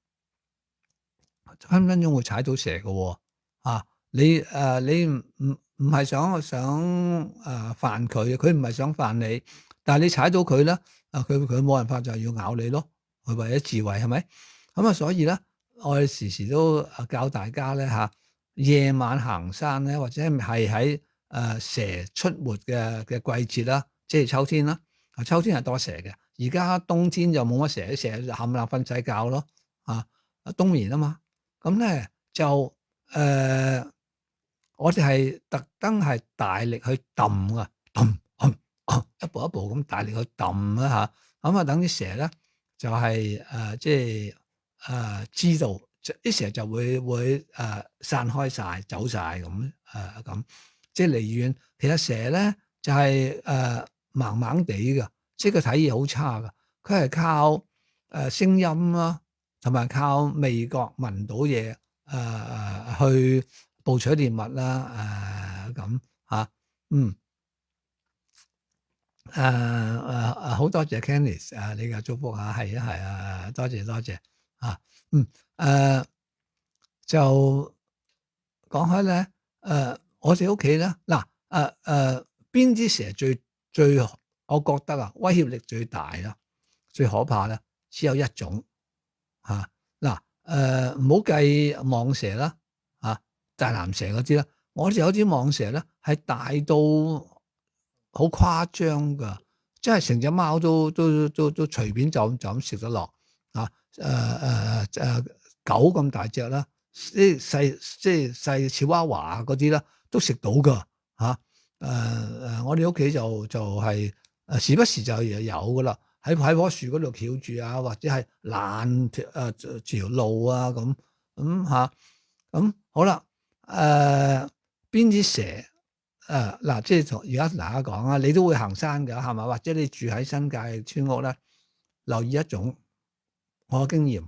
[SPEAKER 4] 分分鐘會踩到蛇嘅喎，啊！你誒、呃、你唔唔唔係想想誒煩佢，佢唔係想煩你，但係你踩到佢咧，啊佢佢冇辦法就係要咬你咯，佢為咗自衛係咪？咁啊，所以咧，我哋時時都教大家咧嚇，夜晚行山咧，或者係喺誒蛇出沒嘅嘅季節啦，即係秋天啦，啊秋天係多蛇嘅，而家冬天就冇乜蛇，啲蛇冚唪唥瞓晒覺咯，啊冬眠啊嘛。咁咧就誒、呃，我哋係特登係大力去揼啊，揼揼揼，一步一步咁大力去揼啦嚇，咁啊等啲蛇咧就係、是、誒、呃、即係誒、呃、知道，啲蛇就會會誒、呃、散開晒，走晒咁誒咁，即係離遠。其實蛇咧就係、是、誒、呃、盲盲地嘅，即係佢睇嘢好差嘅，佢係靠誒、呃、聲音啦。同埋靠味覺聞到嘢，誒、呃、去捕取獵物啦，誒咁嚇，嗯，誒誒誒好多謝 Candice 啊，你嘅祝福嚇，係啊係啊，多謝多謝嚇，嗯誒、呃、就講開咧，誒、呃、我哋屋企咧嗱誒誒邊啲蛇最最，我覺得啊威脅力最大啦，最可怕咧，只有一種。嚇嗱誒，唔好計蟒蛇啦，嚇、啊、大藍蛇嗰啲啦，我哋有啲蟒蛇咧係大到好誇張噶，即係成隻貓都都都都隨便就就咁食得落啊！誒誒誒狗咁大隻啦，啲細即係細小娃娃嗰啲啦，都食到噶嚇誒誒！我哋屋企就就係、是、誒時不時就有噶啦。喺喺棵樹嗰度翹住啊，或者係攔條誒條路啊咁咁嚇，咁好啦。誒邊啲蛇誒嗱、呃，即係同而家同大家講啊，你都會行山㗎係嘛？或者你住喺新界村屋咧，留意一種我嘅經驗，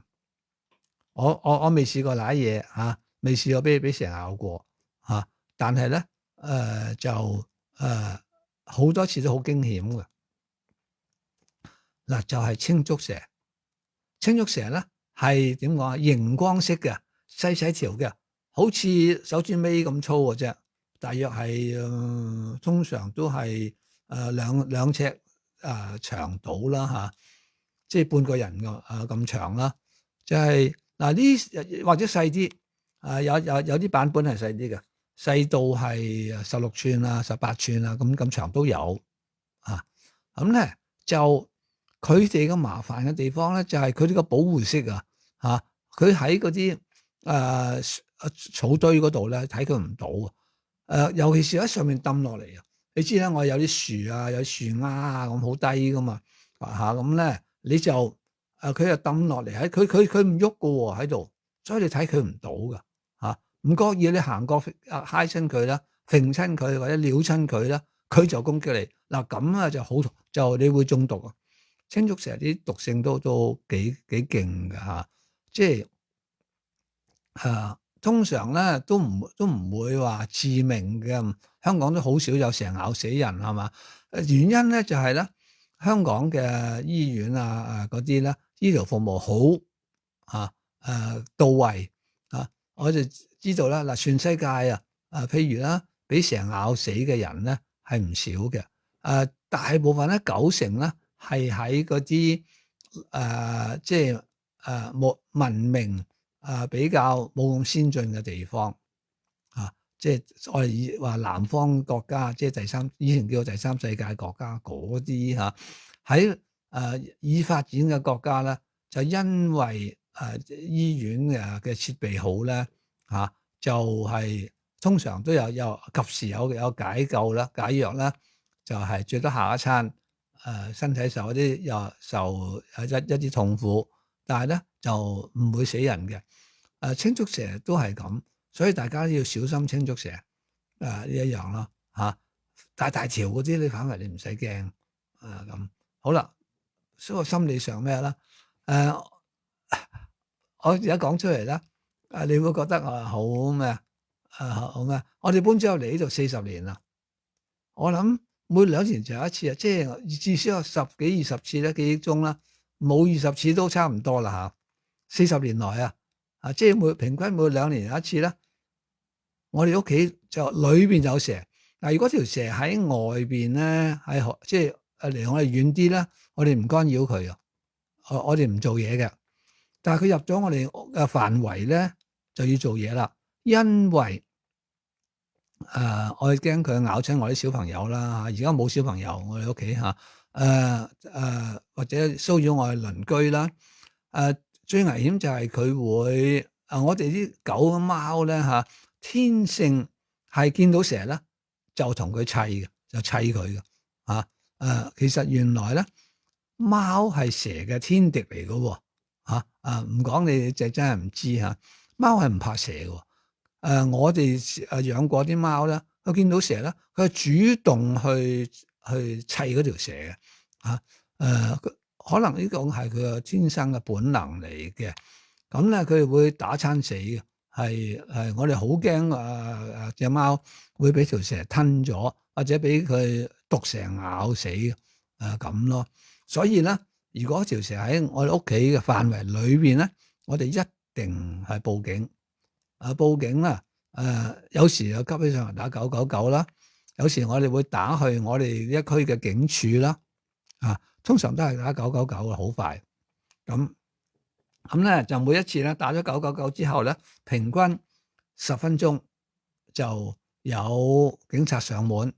[SPEAKER 4] 我我我未試過舐嘢嚇，未試過俾俾蛇咬過嚇、啊，但係咧誒就誒好、呃、多次都好驚險嘅。嗱就係青竹蛇，青竹蛇咧係點講啊？熒光色嘅，細細條嘅，好似手指尾咁粗嘅啫，大約係誒、呃、通常都係誒、呃、兩兩尺誒、呃、長度啦嚇，即係半個人嘅誒咁長啦。就係嗱呢或者細啲，誒、呃、有有有啲版本係細啲嘅，細到係十六寸啊、十八寸啊咁咁長都有啊。咁咧就。佢哋嘅麻煩嘅地方咧，就係佢哋個保護色啊，嚇！佢喺嗰啲誒草堆嗰度咧，睇佢唔到啊。誒、呃，尤其是喺上面抌落嚟啊！你知啦，我有啲樹啊，有樹丫啊，咁好低噶嘛，嚇咁咧，你就誒佢就抌落嚟喺佢佢佢唔喐噶喎喺度，所以你睇佢唔到噶嚇。唔覺意你行過啊，揩親佢啦，揈親佢或者撩親佢啦，佢就攻擊你嗱，咁啊就好就你會中毒啊！青竹蛇啲毒性都都幾幾勁㗎嚇，即係誒、啊、通常咧都唔都唔會話致命嘅，香港都好少有蛇咬死人係嘛？原因咧就係、是、咧香港嘅醫院啊誒嗰啲咧醫療服務好啊誒、啊、到位啊，我就知道啦嗱，全世界啊誒譬如啦，俾蛇咬死嘅人咧係唔少嘅，誒、啊、大部分咧九成咧。係喺嗰啲誒，即係誒冇文明誒、呃、比較冇咁先進嘅地方啊，即係我哋以話南方國家，即係第三以前叫做第三世界國家嗰啲嚇，喺誒已發展嘅國家咧，就因為誒、呃、醫院嘅嘅設備好咧嚇、啊，就係、是、通常都有有及時有有解救啦、解藥啦，就係、是、最多下一餐誒、呃、身體受一啲又受一一啲痛苦，但係咧就唔會死人嘅。誒、呃、青竹蛇都係咁。所以大家要小心青竹蛇，誒、呃、呢一樣咯嚇。大大條嗰啲你反為你唔使驚啊咁。好啦，所以心理上咩啦？誒、呃，我而家講出嚟啦，誒你會覺得啊好咩啊？誒好咩？我哋搬咗入嚟呢度四十年啦，我諗每兩年就有一次啊，即係至少有十幾二十次咧，記憶中啦，冇二十次都差唔多啦嚇。四十年來啊，啊即係每平均每兩年有一次啦。我哋屋企就裏邊有蛇，嗱如果條蛇喺外邊咧，喺即係誒離我哋遠啲咧，我哋唔干擾佢啊，我我哋唔做嘢嘅。但係佢入咗我哋嘅範圍咧，就要做嘢啦，因為誒、呃、我哋驚佢咬親我啲小朋友啦。而家冇小朋友，我哋屋企嚇誒誒或者騷擾我哋鄰居啦。誒、呃、最危險就係佢會誒、呃、我哋啲狗貓咧嚇。啊天性係見到蛇咧，就同佢砌嘅，就砌佢嘅嚇。誒，其實原來咧，貓係蛇嘅天敵嚟嘅喎嚇。誒，唔講你就真係唔知嚇。貓係唔怕蛇嘅。誒、啊，我哋誒養過啲貓咧，佢見到蛇咧，佢係主動去去砌嗰條蛇嘅嚇。誒、啊，可能呢個係佢嘅天生嘅本能嚟嘅。咁咧，佢會打親死嘅。係係，我哋好驚啊！隻貓會俾條蛇吞咗，或者俾佢毒蛇咬死嘅誒咁咯。所以咧，如果條蛇喺我哋屋企嘅範圍裏邊咧，我哋一定係報警。啊，報警啦！誒、呃，有時又急起上嚟打九九九啦，有時我哋會打去我哋一區嘅警署啦。啊，通常都係打九九九嘅，好快咁。咁咧就每一次咧打咗九九九之後咧，平均十分鐘就有警察上門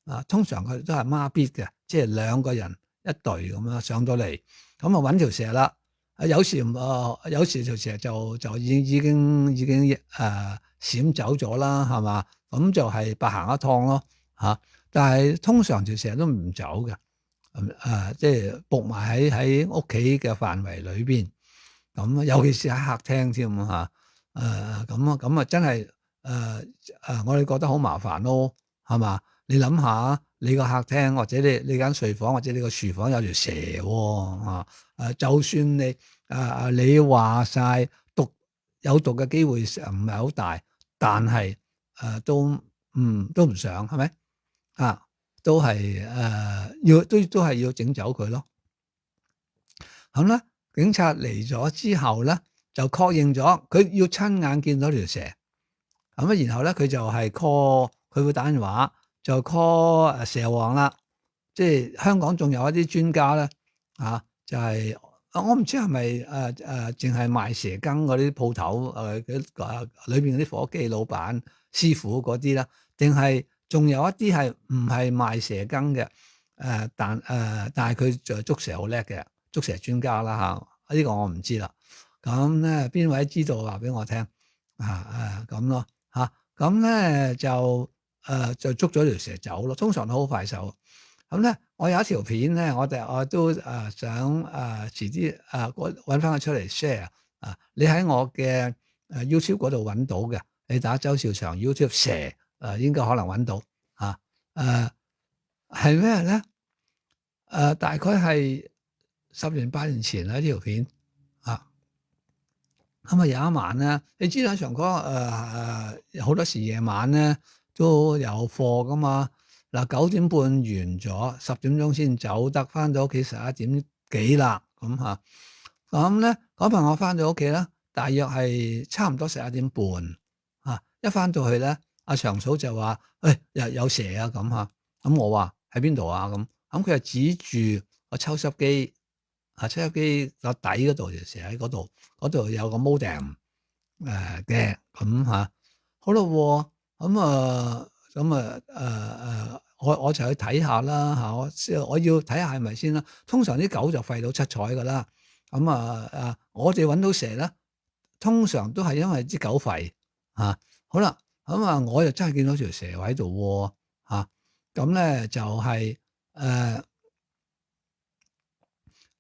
[SPEAKER 4] 啊。通常佢都係孖咇嘅，即係兩個人一隊咁樣上到嚟，咁啊揾條蛇啦。啊有時誒、呃、有時條蛇就就已已經已經誒閃、呃、走咗啦，係嘛？咁就係白行一趟咯嚇、啊。但係通常條蛇都唔走嘅，誒、呃、即係伏埋喺喺屋企嘅範圍裏邊。咁尤其是喺客廳添嚇，誒咁啊咁啊真係誒誒，我哋覺得好麻煩咯，係嘛？你諗下，你個客廳或者你你間睡房或者你個廚房有條蛇喎嚇，誒就算你誒誒你話晒毒有毒嘅機會唔係好大，但係誒都嗯都唔想係咪啊？都係誒要都都係要整走佢咯，咁咧。警察嚟咗之後咧，就確認咗佢要親眼見到條蛇，咁啊，然後咧佢就係 call，佢會打電話就 call 蛇王啦。即係香港仲有一啲專家咧，啊，就係、是、我唔知係咪誒誒，淨係賣蛇羹嗰啲鋪頭誒嘅裏邊嗰啲伙計老闆師傅嗰啲啦，定係仲有一啲係唔係賣蛇羹嘅？誒、呃，但誒、呃，但係佢就捉蛇好叻嘅。捉蛇專家啦嚇，呢、這個我唔知啦。咁咧邊位知道話俾我聽啊？誒咁咯嚇，咁咧就誒、啊、就捉咗條蛇走咯。通常都好快手。咁咧我有一條片咧，我哋我都誒想誒遲啲誒揾翻佢出嚟 share 啊。你喺我嘅誒 YouTube 嗰度揾到嘅，你打周兆祥 YouTube 蛇誒、啊、應該可能揾到嚇。誒係咩咧？誒、啊、大概係。十年八年前啦，呢條片啊，咁啊有一晚咧，你知啦，長哥誒誒好多時夜晚咧都有課噶嘛。嗱九點半完咗，十點鐘先走得，翻到屋企十一點幾啦，咁嚇。咁咧嗰晚我翻到屋企咧，大約係差唔多十一點半嚇。一翻到去咧，阿長嫂就話：誒有有蛇啊咁嚇。咁我話喺邊度啊？咁咁佢就指住個抽濕機。啊！抽濕機個底嗰度就成喺嗰度，嗰度有個 modem 誒嘅咁嚇。好咯，咁啊咁啊誒誒，我我就去睇下啦嚇，我我要睇下係咪先啦。通常啲狗就吠到七彩噶啦。咁啊啊，我哋揾到蛇咧，通常都係因為啲狗吠嚇。好啦，咁啊，我就真係見到條蛇喺度喎嚇。咁咧就係誒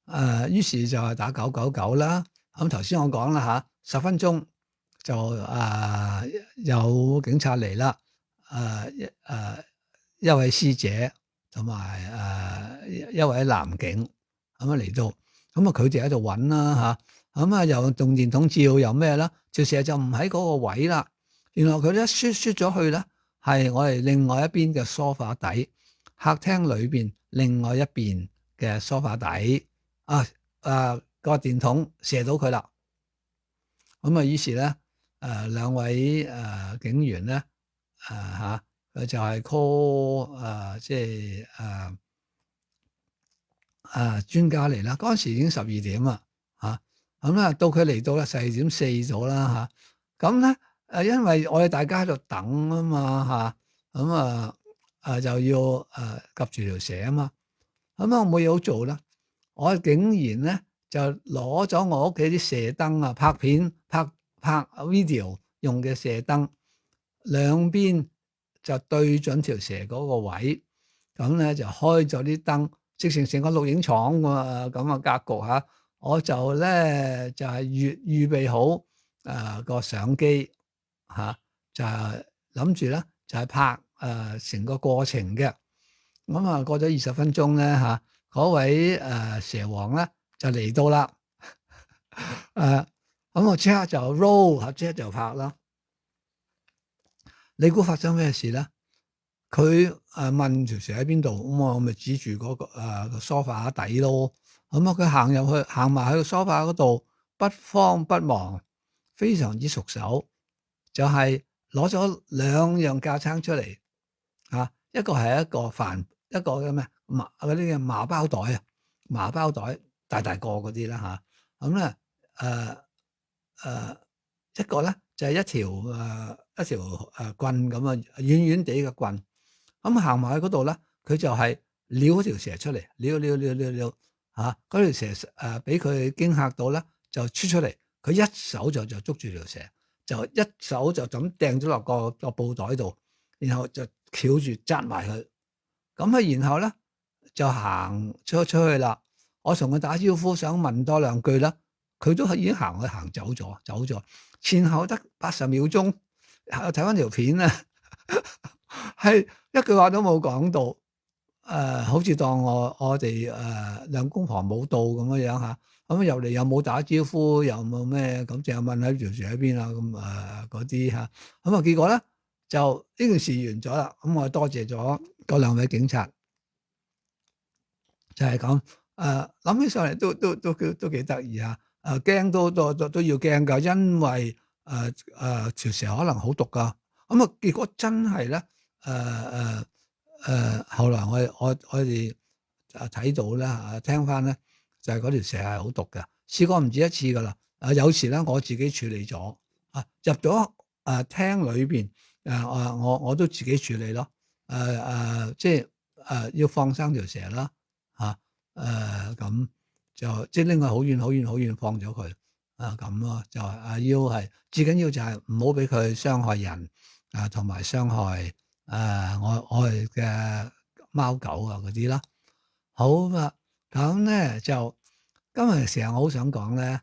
[SPEAKER 4] 誒，於是就係打九九九啦。咁頭先我講啦嚇，十分鐘就誒有警察嚟啦。誒一誒一位師姐同埋誒一位男警咁樣嚟到，咁啊佢哋喺度揾啦嚇，咁啊又動電筒照又咩啦，條蛇就唔喺嗰個位啦。原來佢一輸輸咗去咧，係我哋另外一邊嘅梳化底，客廳裏邊另外一邊嘅梳化底啊啊個電筒射到佢啦。咁啊於是咧誒兩位誒警員咧。誒嚇，佢就係 call 誒，即係誒誒專家嚟啦。嗰陣時已經十二點啦，嚇咁啦，到佢嚟到啦，十二點四咗啦嚇。咁咧誒，因為我哋大家喺度等啊嘛嚇，咁啊誒就要誒夾住條蛇啊嘛。咁啊，我冇嘢好做啦，我竟然咧就攞咗我屋企啲射燈啊，拍片拍拍 video 用嘅射燈。兩邊就對準條蛇嗰個位，咁咧就開咗啲燈，直成成個錄影廠喎咁嘅格局嚇。我就咧就係預預備好誒個相機嚇，就諗住咧就係拍誒成個過程嘅。咁啊過咗二十分鐘咧嚇，嗰位誒蛇王咧就嚟到啦。誒咁我即刻就 roll，即刻就拍啦。你估發生咩事咧？佢誒問條蛇喺邊度，咁我咪指住嗰個誒個梳化底咯。咁啊，佢行入去，行埋喺個梳化嗰度，不慌不忙，非常之熟手，就係攞咗兩樣架撐出嚟嚇，一個係一個飯，一個嘅咩麻嗰啲嘅麻包袋啊，麻包袋大大個嗰啲啦嚇。咁咧誒誒一個咧就係一條誒。一條誒棍咁啊，軟軟地嘅棍，咁行埋去嗰度咧，佢就係撩嗰條蛇出嚟，撩撩撩撩撩嚇，嗰條蛇誒俾佢驚嚇到咧，就出出嚟，佢一手就就捉住條蛇，就一手就咁掟咗落個個布袋度，然後就翹住紮埋佢，咁啊，然後咧就行出出去啦。我同佢打招呼，想問多兩句啦，佢都已經行去行走咗，走咗，前後得八十秒鐘。睇翻條片咧，係一句話都冇講到，誒、呃，好似當我我哋誒兩公婆冇到咁樣樣吓，咁入嚟又冇打招呼，又冇咩，咁淨係問喺條蛇喺邊啊，咁誒嗰啲吓，咁啊結果咧就呢件事完咗啦，咁我多謝咗嗰兩位警察，就係咁誒諗起上嚟都都都都都幾得意啊，誒驚都都都都要驚噶，因為。誒誒條蛇可能好毒噶，咁啊結果真係咧，誒誒誒後來我我我哋啊睇到咧啊聽翻咧，就係嗰條蛇係好毒嘅，試過唔止一次噶啦。啊有時咧我自己處理咗啊，入咗誒廳裏邊誒我我我都自己處理咯，誒誒即係誒要放生條蛇啦嚇，誒咁就即係拎佢好遠好遠好遠放咗佢。啊咁咯，就係啊要係最緊要就係唔好俾佢傷害人啊，同埋傷害誒、啊、我我哋嘅貓狗啊嗰啲啦。好啊，咁咧就今日成日我好想講咧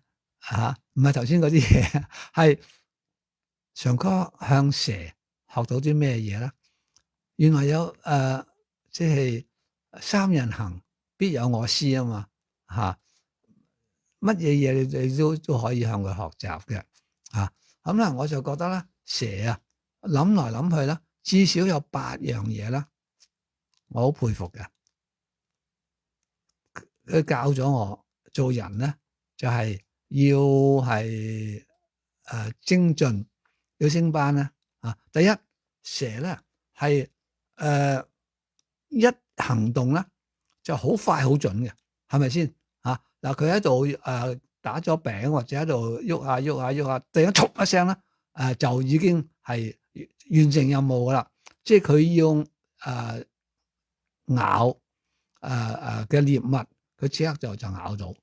[SPEAKER 4] 嚇，唔係頭先嗰啲嘢，係常哥向蛇學到啲咩嘢咧？原來有誒，即係三人行必有我師啊嘛嚇。乜嘢嘢你哋都都可以向佢學習嘅，啊咁咧我就覺得咧蛇啊諗來諗去咧，至少有八樣嘢啦，我好佩服嘅。佢教咗我做人咧，就係、是、要係誒、呃、精進，要升班咧。啊，第一蛇咧係誒一行動咧就好快好準嘅，係咪先？嗱，佢喺度誒打咗餅或者喺度喐下喐下喐下，突然間嘈一聲咧，誒就已經係完成任務噶啦，即係佢要誒、呃、咬誒誒嘅獵物，佢即刻就就咬到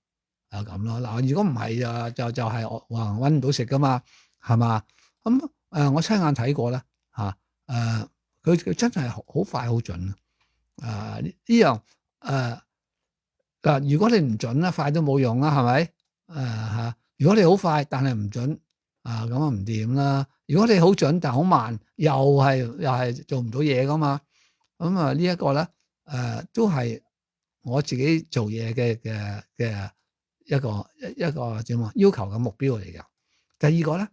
[SPEAKER 4] 啊咁咯。嗱，如果唔係啊，就就係我話搵唔到食噶嘛，係嘛？咁誒、呃，我親眼睇過咧嚇誒，佢、啊、佢真係好快好準啊！呢呢樣誒嗱，如果你唔準咧，快都冇用啦，係咪？誒、啊、嚇，如果你好快但係唔準啊，咁啊唔掂啦。如果你好準但好慢，又係又係做唔到嘢噶嘛。咁啊呢一個咧誒、呃、都係我自己做嘢嘅嘅嘅一個一一個點啊要求嘅目標嚟嘅。第二個咧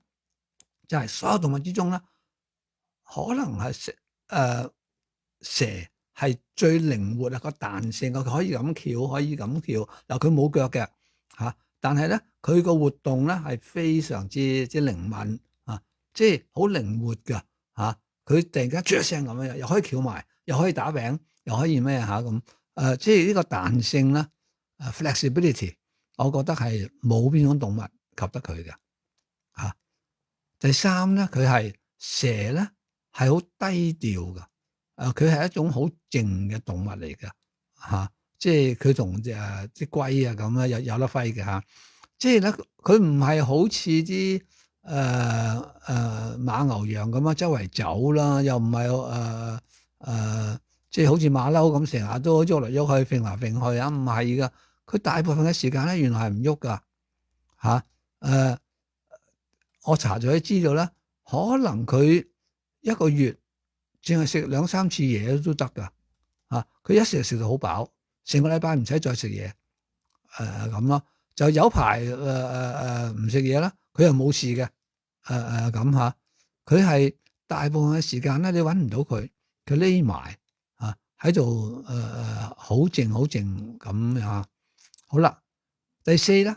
[SPEAKER 4] 就係、是、所有動物之中咧，可能係蛇誒蛇係最靈活啊，個彈性佢可以咁翹，可以咁跳。嗱，佢冇腳嘅嚇，但係咧佢個活動咧係非常之之靈敏啊，即係好靈活㗎嚇。佢突然間啜一聲咁樣，又可以翹埋，又可以打餅，又可以咩嚇咁誒？即係呢個彈性咧，誒 flexibility，我覺得係冇邊種動物及得佢嘅嚇。第三咧，佢係蛇咧係好低調㗎。誒，佢係一種好靜嘅動物嚟嘅嚇，即係佢同誒啲龜啊咁啊有有得揮嘅嚇。即係咧，佢唔係好似啲誒誒馬牛羊咁啊，周圍走啦，又唔係誒誒，即係好似馬騮咁成日都喐嚟喐去，揈嚟揈去啊，唔係噶。佢大部分嘅時間咧，原來係唔喐噶嚇。誒，我查咗啲資料咧，可能佢一個月淨係食兩三次嘢都得噶嚇。佢一食就食到好飽，成個禮拜唔使再食嘢誒咁咯。就有排誒誒誒唔食嘢啦，佢又冇事嘅誒誒咁嚇。佢係大部分嘅時間咧，你揾唔到佢，佢匿埋嚇喺度誒誒好靜好靜咁嚇。好啦，第四咧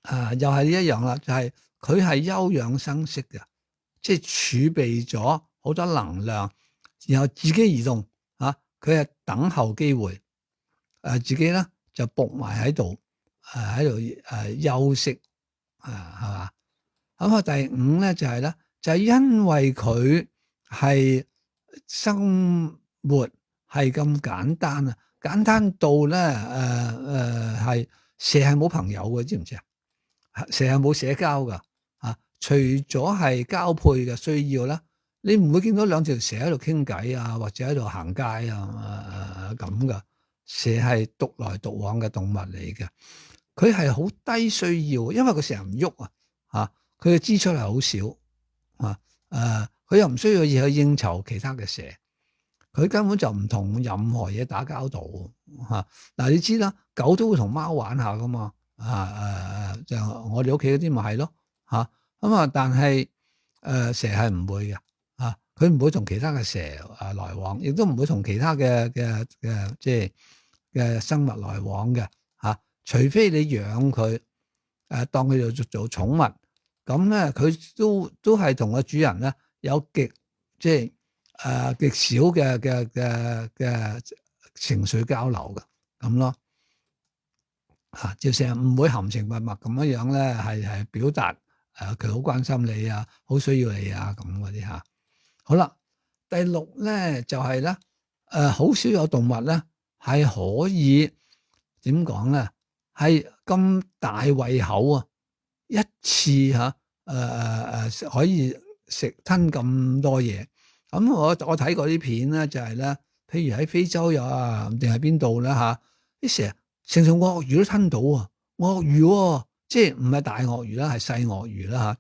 [SPEAKER 4] 啊，又係呢一樣啦，就係佢係休養生息嘅，即係儲備咗好多能量，然後自己移動嚇。佢係等候機會誒，自己咧就伏埋喺度。誒喺度誒休息啊，係嘛？咁啊，第五咧就係、是、咧，就係、是、因為佢係生活係咁簡單啊，簡單到咧誒誒係蛇係冇朋友嘅，知唔知啊？蛇係冇社交噶嚇，除咗係交配嘅需要啦，你唔會見到兩條蛇喺度傾偈啊，或者喺度行街啊咁噶。蛇係獨來獨往嘅動物嚟嘅。佢係好低需要，因為佢成日唔喐啊，嚇佢嘅支出係好少啊，誒佢又唔需要嘢去應酬其他嘅蛇，佢根本就唔同任何嘢打交道嚇。嗱、啊、你知啦，狗都會同貓玩下噶嘛，啊誒誒，就我哋屋企嗰啲咪係咯嚇咁啊，但係誒、呃、蛇係唔會嘅嚇，佢、啊、唔會同其他嘅蛇誒來往，亦都唔會同其他嘅嘅嘅即係嘅生物來往嘅嚇。啊除非你養佢，誒當佢做做寵物，咁咧佢都都係同個主人咧有極即係誒極少嘅嘅嘅嘅情緒交流嘅咁咯，嚇就成日唔會含情脈脈咁樣樣咧，係係表達誒佢好關心你啊，好需要你啊咁嗰啲嚇。好啦，第六咧就係咧誒好少有動物咧係可以點講咧？係咁大胃口啊！一次嚇誒誒誒可以食吞咁多嘢。咁我我睇過啲片咧，就係咧，譬如喺非洲有啊，定係邊度咧嚇？啲蛇成條鱷魚都吞到啊！鱷魚喎，即係唔係大鱷魚啦，係細鱷魚啦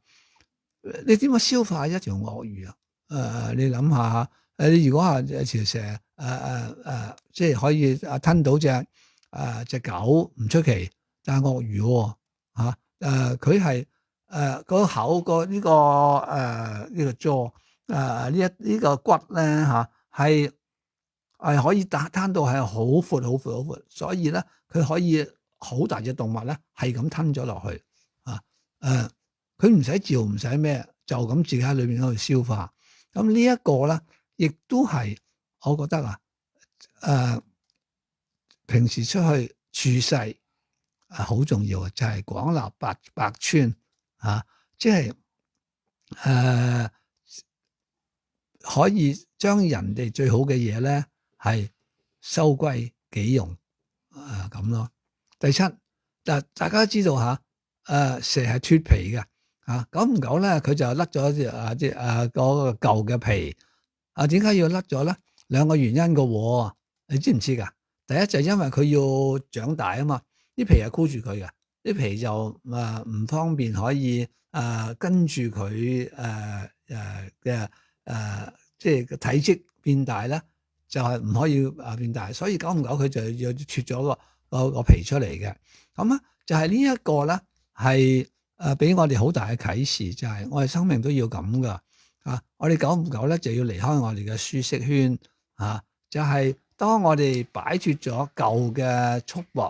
[SPEAKER 4] 嚇。你點樣消化一條鱷魚啊？誒，你諗下誒，你如果係條蛇誒誒誒，即係可以啊吞到隻。誒隻、呃、狗唔出奇，但係鱷魚喎嚇誒，佢係誒個口個呢個誒呢個 jaw 誒呢一呢個骨咧嚇係係可以打攤到係好闊好闊好闊，所以咧佢可以好大隻動物咧係咁吞咗落去啊誒，佢唔使嚼唔使咩，就咁自己喺裏邊嗰度消化。咁呢一個咧，亦都係我覺得啊誒。呃平時出去處世啊，好重要嘅就係、是、廣納百百川啊，即係誒可以將人哋最好嘅嘢咧係收歸己用啊咁咯。第七，嗱大家都知道嚇，誒、啊、蛇係脫皮嘅嚇，久唔久咧佢就甩咗隻啊隻啊嗰個舊嘅皮啊，點解要甩咗咧？兩個原因嘅喎，你知唔知㗎？第一就係因為佢要長大啊嘛，啲皮係箍住佢嘅，啲皮就誒唔方便可以誒跟住佢誒誒嘅誒，即係個體積變大咧，就係唔可以誒變大，所以久唔久佢就要脫咗個個個皮出嚟嘅。咁啊，就係呢一個咧係誒俾我哋好大嘅啟示，就係我哋生命都要咁噶啊！我哋久唔久咧就要離開我哋嘅舒適圈啊，就係。當我哋擺脫咗舊嘅束縛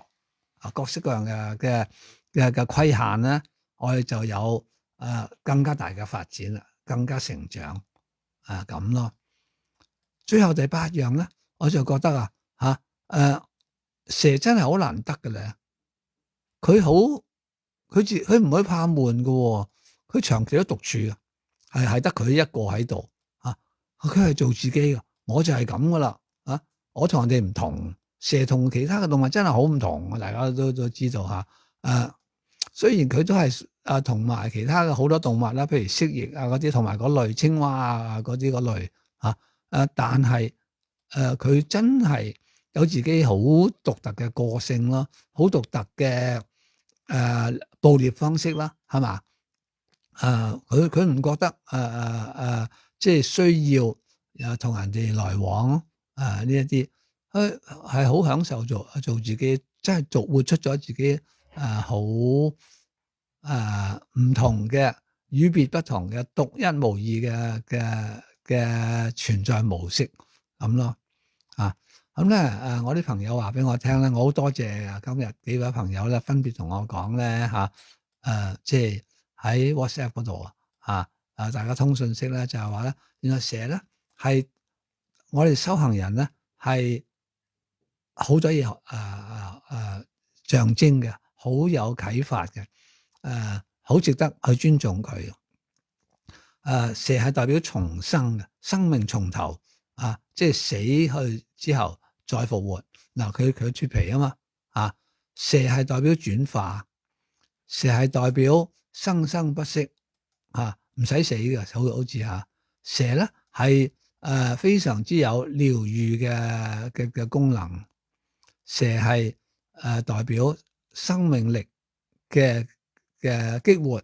[SPEAKER 4] 啊，各式各樣嘅嘅嘅嘅規限咧，我哋就有誒、呃、更加大嘅發展啦，更加成長啊咁咯。最後第八樣咧，我就覺得啊嚇誒蛇真係好難得嘅咧，佢好佢自佢唔會怕悶嘅喎，佢長期都獨處嘅，係係得佢一個喺度啊，佢係做自己嘅，我就係咁噶啦啊！我同人哋唔同，蛇同其他嘅動物真係好唔同，大家都都知道嚇。誒、啊，雖然佢都係誒同埋其他嘅好多動物啦，譬如蜥蜴啊嗰啲，同埋嗰類青蛙啊嗰啲嗰類嚇。誒、啊，但係誒佢真係有自己好獨特嘅個性咯，好獨特嘅誒、呃、捕獵方式啦，係嘛？誒，佢佢唔覺得誒誒誒，即係需要誒同人哋來往。啊！呢一啲佢係好享受做做自己，真係做活出咗自己啊！好啊唔同嘅與別不同嘅獨一無二嘅嘅嘅存在模式咁咯啊！咁咧誒，我啲朋友話俾我聽咧，我好多謝啊！今日幾位朋友咧分別同我講咧嚇誒，即係喺 WhatsApp 嗰度啊啊！大家通訊息咧就係話咧，原來蛇咧係。我哋修行人咧係好多嘢誒誒誒象徵嘅，好有啟發嘅，誒、呃、好值得去尊重佢。誒、呃、蛇係代表重生嘅，生命從頭啊，即係死去之後再復活。嗱、呃，佢佢脫皮啊嘛，啊蛇係代表轉化，蛇係代表生生不息，啊唔使死嘅，好好似嚇蛇咧係。誒、呃、非常之有療愈嘅嘅嘅功能，蛇係誒、呃、代表生命力嘅嘅激活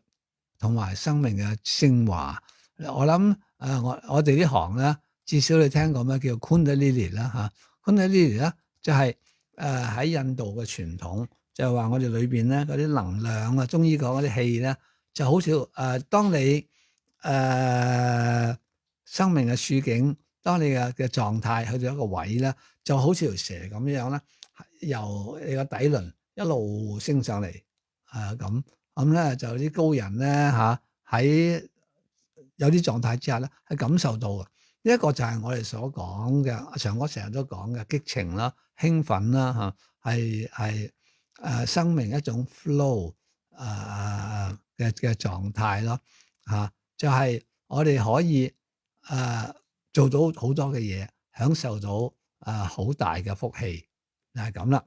[SPEAKER 4] 同埋生命嘅昇華。我諗誒、呃、我我哋呢行咧，至少你聽過咩叫 Kundalini 啦嚇，Kundalini 咧就係誒喺印度嘅傳統，就係、是、話我哋裏邊咧嗰啲能量啊，中醫講嗰啲氣咧，就好似誒、呃、當你誒。呃生命嘅處境，當你嘅嘅狀態去到一個位咧，就好似條蛇咁樣咧，由你個底輪一路升上嚟，啊咁咁咧就啲高人咧嚇喺有啲狀態之下咧，係感受到嘅。呢一個就係我哋所講嘅，阿長哥成日都講嘅激情啦、興奮啦嚇，係係誒生命一種 flow 誒嘅嘅狀態咯嚇，就係我哋可以。誒、呃、做到好多嘅嘢，享受到誒好、呃、大嘅福氣，就係咁啦。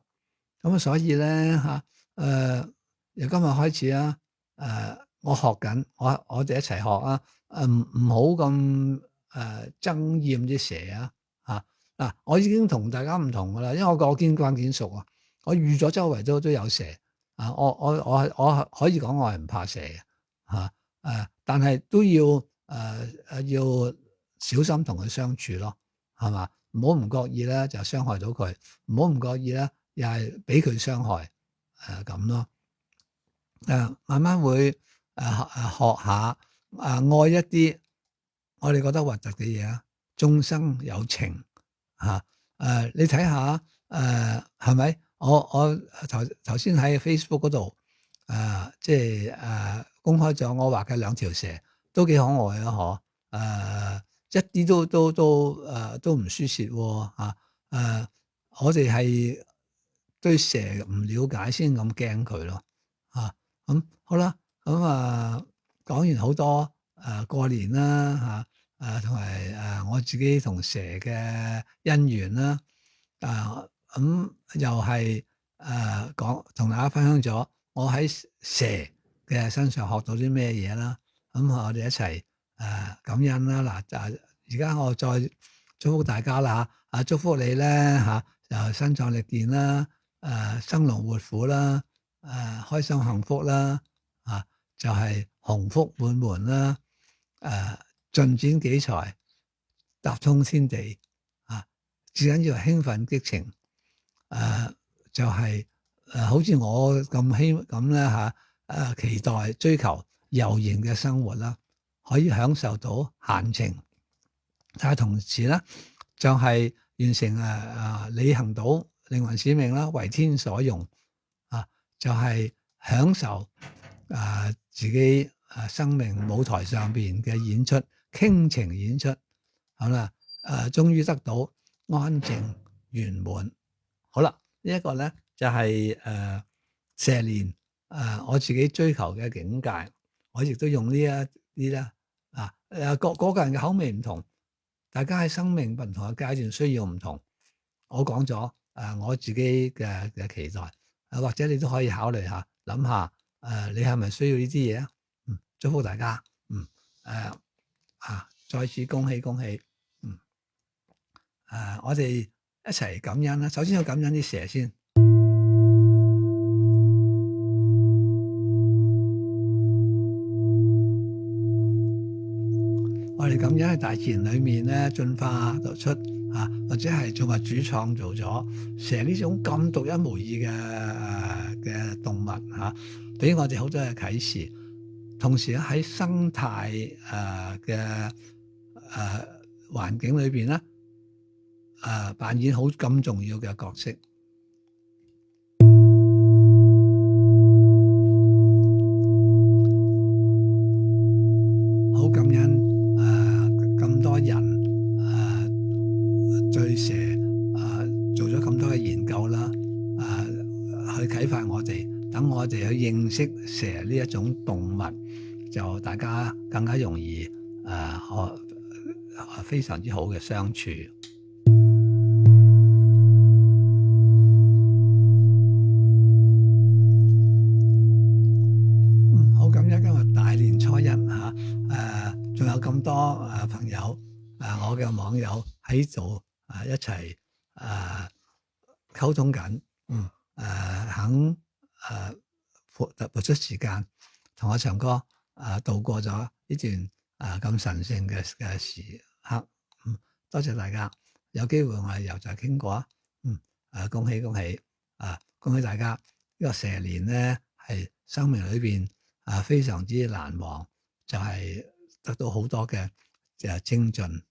[SPEAKER 4] 咁啊，所以咧嚇誒由今日開始啊，誒、呃、我學緊，我我哋一齊學啊，誒唔唔好咁誒憎厭啲蛇啊嚇嗱、啊，我已經同大家唔同噶啦，因為我個見慣見熟啊，我預咗周圍都都有蛇啊，我我我我可以講我係唔怕蛇嘅嚇誒，但係都要誒誒、呃、要。小心同佢相處咯，係嘛？唔好唔覺意咧就傷害到佢，唔好唔覺意咧又係俾佢傷害，誒咁咯。誒、呃、慢慢會誒誒、呃、學下誒、呃、愛一啲我哋覺得核突嘅嘢啊，眾生有情嚇誒、呃，你睇下誒係咪？我我頭頭先喺 Facebook 嗰度誒，即係誒公開咗我畫嘅兩條蛇，都幾可愛啊！嗬誒。呃一啲都都都誒、呃、都唔輸蝕喎嚇誒！我哋係對蛇唔了解先咁驚佢咯嚇咁好啦咁啊講完好多誒、呃、過年啦嚇誒同埋誒我自己同蛇嘅姻緣啦，啊咁又係誒講同大家分享咗我喺蛇嘅身上學到啲咩嘢啦，咁我哋一齊誒、呃、感恩啦。嗱，就而家我再祝福大家啦，啊祝福你咧嚇，就身壯力健啦，誒生龍活虎啦，誒開心幸福啦，啊就係鴻福滿門啦，誒進展幾財，搭通天地，啊至緊要興奮激情，誒就係誒好似我咁希咁咧嚇，誒期待追求悠然嘅生活啦，可以享受到閒情，但係同時咧就係完成誒誒履行到靈魂使命啦，為天所用啊，就係享受誒自己誒生命舞台上邊嘅演出，傾情演出，好啦，誒終於得到安靜圓滿，好啦，呢一個咧就係誒蛇年誒我自己追求嘅境界，我亦都用呢一啲咧啊誒個個個人嘅口味唔同。大家喺生命唔同嘅階段需要唔同，我講咗誒我自己嘅嘅期待，誒或者你都可以考慮下，諗下誒你係咪需要呢啲嘢啊？嗯，祝福大家，嗯誒啊，再次恭喜恭喜，嗯誒我哋一齊感恩啦。首先要感恩啲蛇先。我哋咁樣喺大自然裏面咧進化得出啊，或者係造物主創造咗蛇呢種咁獨一無二嘅嘅動物嚇，俾我哋好多嘅啟示。同時咧喺生態誒嘅誒環境裏邊咧誒扮演好咁重要嘅角色。好感恩。咁多人誒對蛇誒做咗咁多嘅研究啦，誒去啟發我哋，等我哋去認識蛇呢一種動物，就大家更加容易誒可非常之好嘅相處。嗯，好感恩今日大年初一嚇誒。仲有咁多誒朋友誒、啊，我嘅網友喺度誒一齊誒溝通緊，嗯誒、啊、肯誒撥撥出時間同我唱歌誒、啊，度過咗呢段誒咁、啊、神聖嘅嘅時刻，嗯，多謝大家，有機會我哋又再傾過啊，嗯誒、啊，恭喜恭喜啊，恭喜大家！呢、這個蛇年咧係生命裏邊誒非常之難忘，就係、是。得到好多嘅誒精進，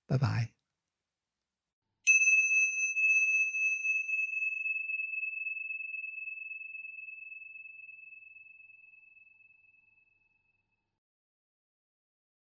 [SPEAKER 4] 拜拜。